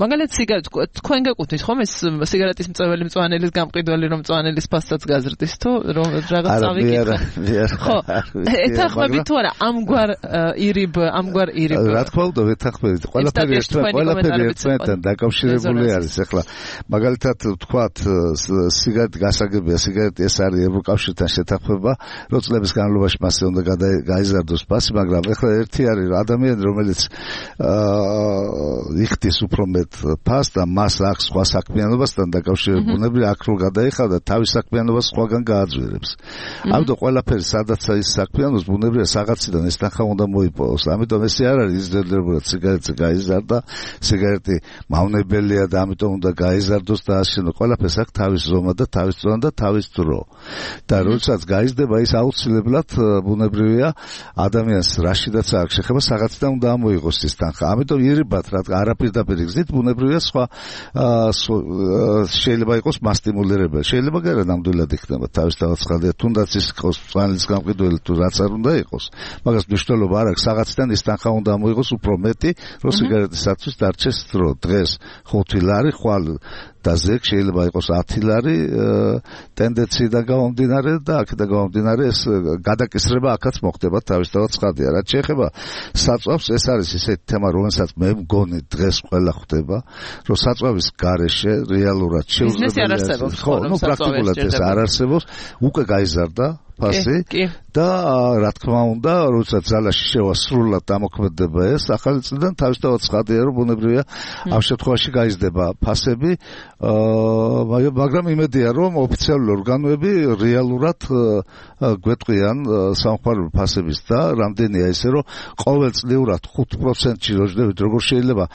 მაგალითად სიგარეტ თქვენ გეკუთვნით ხომ ეს სიგარეტის მწვანელის მწვანელის გამყიდველი რომ მწვანელის ფასადაც გაზრდის თუ რომ რაღაც წავიკითხეთ ხო ეთახმებით თუ არა ამგვარ ირიბ ამგვარ ირიბ რა თქმა უნდა ვეთახმებით ყველაფერი ყველაფერი ერთმანეთთან დაკავშირებული არის ახლა მაგალითად ვთქვათ სიგარეტი გასაგებია სიგარეტი ეს არის ევროკავშირთან შეთანხმება, რომ წლების განმავლობაში მასზე უნდა გაიზარდოს ფასი, მაგრამ ეხლა ერთი არის ადამიანი, რომელიც იხდის უფრო მეტ ფასს და მას აქვს სხვა საქმიანობასთან დაკავშირებული, აქ რო გადაიხადა, თავის საქმიანობას სხვაგან გააძვირებს. ამიტომ ყველაფერი სადაც ის საქმიანობს, ბუნებრივია საღაციდან ეს თანხა უნდა მოიპოვოს. ამიტომ ეს არ არის იზრდებოდა სიგარეტი გაიზარდა, სიგარეტი მავნებელია და ამიტომ უნდა გაიზარდოს და ასე ყველაფერს აქვს თავის ზომა და თავის ზონა და თავის დრო. და როდესაც გაიზრდება ის აუცილებლად ბუნებრივია ადამიანს რაშიდაც არ შეხება საღაციდან უნდა ამოიღოს ის თანხა. ამიტომ ირიბად რა არაპირდაპირ გზით ბუნებრივია სხვა შეიძლება იყოს მასტიმულირებელი. შეიძლება გერა ნამდვილად იქნება თავისთავად ხალხი თუნდაც ის იყოს მწვანელის გამყიდველი თუ რაც არ უნდა იყოს. მაგას მნიშვნელობა არ აქვს საღაციდან ის თანხა უნდა ამოიღოს უფრო მეტი რომ სიგარეტისათვის დარჩეს დრო. დღეს ხუთი ლარი ხვალ და ზეგ შეიძლება იყოს ათი ლარი ტენდენციიდან გამომდინარე და აქედან გამომდინარე ეს გადაკისრება აქაც მოხდება თავისთავად ცხადია. რაც შეეხება საწვავს ეს არის ისეთი თემა რომელსაც მე მგონი დღეს ყველა ხვდება რომ საწვავის გარეშე რეალურად შეუძლებელი ხო ნუ პრაქტიკულად ეს არ არსებობს უკვე გაიზარდა ფასი და რა თქმა უნდა, როდესაც ძალაში შევა სრულად დამოქმედება ეს ახალი წლიდან თავისთავად ცხადია, რომ ბუნებრივია ამ შემთხვევაში გაიზრდება ფასები, მაგრამ იმედია, რომ ოფიციალური ორგანოები რეალურად გვეტყვიან სამხმარებლო ფასების და რამდენია ისე, რომ ყოველწლიურად ხუთ პროცენტში როჟდებით, როგორ შეიძლება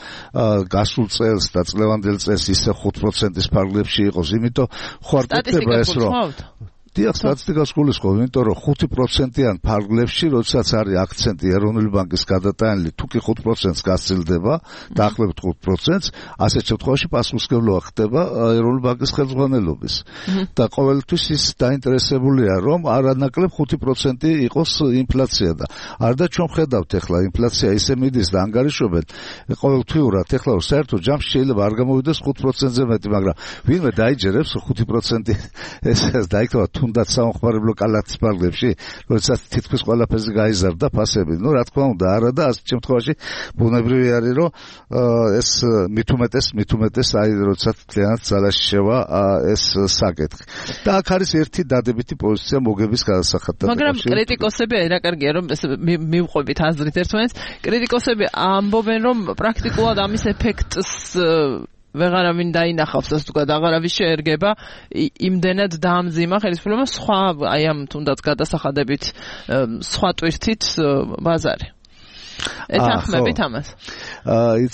გასულ წელს და წლევანდელ წელს ისე ხუთ პროცენტის ფარგლებში იყოს, იმიტომ ხო არ გეტყვება ეს, რომ დიახ, სტატისტიკას გულისხმობ, იმიტომ რომ ხუთი პროცენტიან ფარგლებში, როდესაც არის აქცენტი ეროვნული ბანკის გადატანილი, თუ კი ხუთ პროცენტს გასცილდება, დაახლოებით ხუთ პროცენტს, ასეთ შემთხვევაში პასუხისმგებლობა ხდება ეროვნული ბანკის ხელმძღვანელობის. და ყოველთვის ის დაინტერესებულია, რომ არანაკლებ ხუთი პროცენტი იყოს ინფლაცია და არ და ჩვენ ხედავთ ახლა ინფლაცია ისე მიდის და ანგარიშობენ ყოველთვიურად, ახლა საერთოდ ჯამში შეიძლება არ გამოვიდეს ხუთ პროცენტზე მეტი, მაგრამ ვინმე დაიჯერებს ხუთი პროცენტი ეს დაიქვა თუნდაც სამხმარებლო კალათის ფარგლებში, როდესაც თითქმის ყველაფერზე გაიზარდა ფასები. ნუ რა თქმა უნდა, არა და ასეთ შემთხვევაში ბუნებრივი არის, რომ ეს მით უმეტეს, მით უმეტეს აი როდესაც მთლიანად ძალაში შევა ეს საკითხი. და აქ არის ერთი დადებითი პოზიცია მოგების გადასახადთან. მაგრამ კრიტიკოსები აი რა კარგია, რომ ეს მივყვებით აზრით ერთმანეთს. კრიტიკოსები ამბობენ, რომ პრაქტიკულად ამის ეფექტს ვეღარავინ დაინახავს, ასე ვთქვათ, აღარავის შეერგება, იმდენად დაამძიმა ხელისუფლება სხვა, აი ამ თუნდაც გადასახადებით სხვა ტვირთით ბაზარი. ეთანხმებით ამას?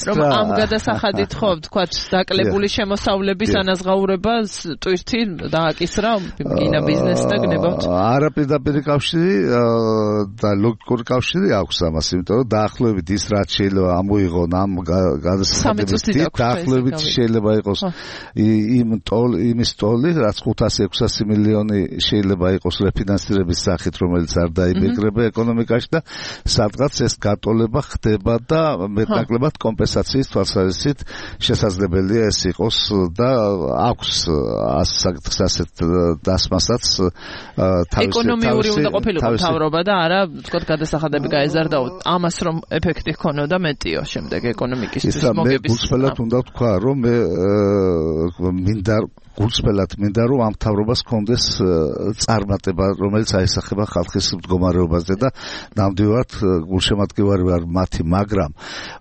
რომ ამ გადასახადით ხო ვთქვათ, დაკლებული შემოსავლების ანაზღაურებას ტვირთი დააკისრა კინა ბიზნესს და გნებავთ? არა პირდაპირ კავშირი და ლოგიკური კავშირი აქვს ამას, იმიტომ რომ დაახლოებით ის რაც შეიძლება ამოიღონ ამ გადასახადებით, დაახლოებით შეიძლება იყოს იმ ტოლ იმის ტოლი, რაც ხუთასი ექვსასი მილიონი შეიძლება იყოს რეფინანსირების სახით, რომელიც არ დაიბეგრება ეკონომიკაში და სადღაც ეს გატოლება ხდება და მეტნაკლებად კომპენსაციის თვალსაზრისით შესაძლებელია ეს იყოს და აქვს ასეთ დასმასაც თავისი ეკონომიური უნდა ყოფილიყო მთავრობა და არა ვთქვათ გადასახადები გაეზარდა ამას რომ ეფექტი ჰქონოდა მეტიო შემდეგ ეკონომიკისთვის მოგების. მე გულწრფელად უნდა ვთქვა რომ მე მინდა გულწრფელად მინდა რომ ამ მთავრობას ჰქონდეს წარმატება, რომელიც აისახება ხალხის მდგომარეობაზე და ნამდვილად გულშემატკივარი ვარ მათი, მაგრამ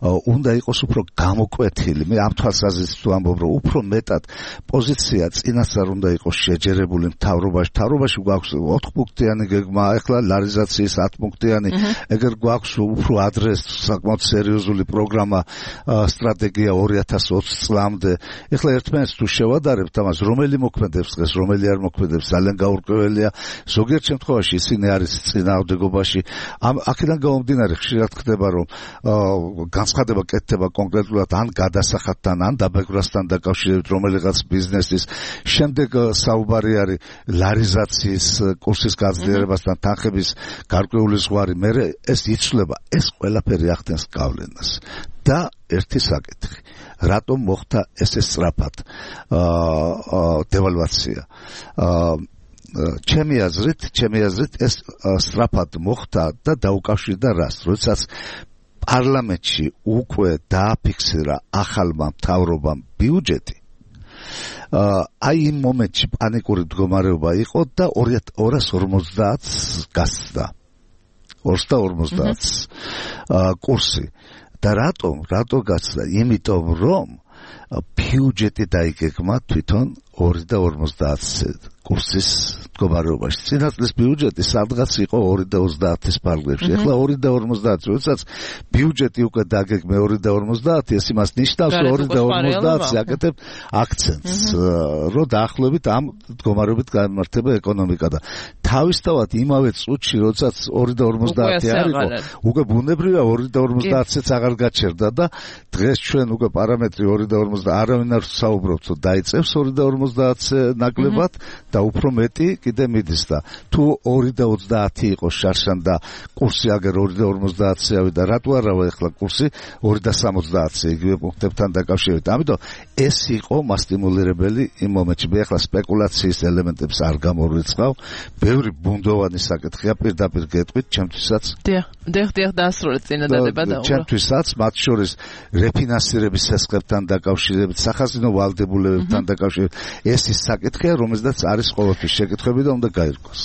უნდა იყოს უფრო გამოკვეთილი. მე ამ თვალსაზრისით ვამბობ, რომ უფრო მეტად პოზიცია წინასწარ უნდა იყოს შეჯერებული მთავრობაში. მთავრობაში გვაქვს ოთხპუნქტიანი გეგმა, ახლა ლარიზაციის ათპუნქტიანი, ეგერ გვაქვს უფრო ადრე საკმაოდ სერიოზული პროგრამა, სტრატეგია ორი ათას ოცი წლამდე. ახლა ერთმანეთს თუ შევადარებთ ამას, რომელი მოქმედებს დღეს, რომელი არ მოქმედებს, ძალიან გაურკვეველია. ზოგიერთ შემთხვევაში ისინი არის წინააღმდეგობაში. ამ აქედან გამომდინარე ხშირად ხდება, რომ განცხადება კეთდება კონკრეტულად ან გადასახადთან, ან დაბეგვრასთან დაკავშირებით რომელიღაც ბიზნესის. შემდეგ საუბარი არის ლარიზაციის კურსის გაძლიერებასთან, თანხების გარკვეული ზღვარი. მე ეს იცვლება, ეს ყველაფერი ახდენს გავლენას. და ერთი საკითხი, რატომ მოხდა ესე სწრაფად დევალვაცია? ჩემი აზრით, ჩემი აზრით ეს სწრაფად მოხდა და დაუკავშირდა რას? როდესაც პარლამენტში უკვე დააფიქსირა ახალმა მთავრობამ ბიუჯეტი, აი იმ მომენტში პანიკური მდგომარეობა იყო და ორას ორმოცდაათს გასცდა. ორს და ორმოცდაათს კურსი. და რატომ? რატო გასცდა? იმიტომ რომ ბიუჯეტი დაიგეგმა თვითონ ორი და ორმოცდაათს კურსის მდგომარეობაში. წინაწლის ბიუჯეტი სადღაც იყო ორი და ოცდაათის ფარგლებში. ახლა ორი და ორმოცდაათი, როდესაც ბიუჯეტი უკვე დაგეგმე ორი და ორმოცდაათი, ეს იმას ნიშნავს, რომ ორი და ორმოცდაათს აკეთებ აქცენტს, რომ დაახლოებით ამ მდგომარეობით გამართება ეკონომიკა და თავისთავად იმავე წუთში, როდესაც ორი და ორმოცდაათი არისო, უკვე ბუნებრივია ორი და ორმოცდაათიც აღარ გაჩერდა და დღეს ჩვენ უკვე პარამეტრი ორი და ორმოცდაათი არავინ არ საუბრობს, რომ დაიწევს ორი და ორმოცდაათზე ნაკლებად და უფრო მეტი კიდე მიდის და თუ ორი და ოცდაათი იყოს შარშან და კურსი აგერ ორი და ორმოცდაათზე ავიდა, რატო არავა ახლა კურსი ორი და სამოცდაათზე იგივე პუნქტებთან დაკავშირებით. ამიტომ ეს იყო მასტიმულირებელი იმ მომენტში. მე ახლა სპეკულაციის ელემენტებს არ გამორიცხავ, ბევრი ბუნდოვანი საკითხია, პირდაპირ გეტყვით, ჩემთვისაც. დიახ, დიახ, დიახ, დაასრულეთ წინადადება და ჩემთვისაც მათ შორის რეფინანსირების სესხებთან დაკავშირებით, სახაზინო ვალდებულებებთან დაკავშირებით ეს ის საკითხია, რომელზეც არის ყოველთვის შეკითხვები და უნდა გაირკვეს.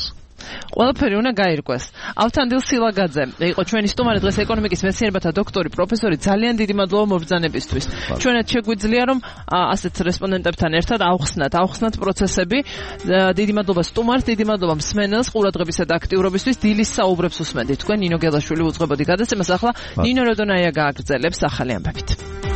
ყველაფერი უნდა გაირკვეს. ავთანდილ სილაგაძე იყო ჩვენი სტუმარი დღეს ეკონომიკის მეცნიერებათა დოქტორი, პროფესორი. ძალიან დიდი მადლობა მობრძანებისთვის. ჩვენად შეგვიძლია რომ ასეთ რესპონდენტებთან ერთად ავხსნათ, ავხსნათ პროცესები. დიდი მადლობა სტუმარს, დიდი მადლობა მსმენელს ყურადღებისა და აქტიურობისთვის. დილის საუბრებს უსმენთ თქვენ. ნინო გელაშვილი უძღვებოდი გადაცემას. ახლა ნინო როდონაია გააგრძელებს ახალი ამბებით.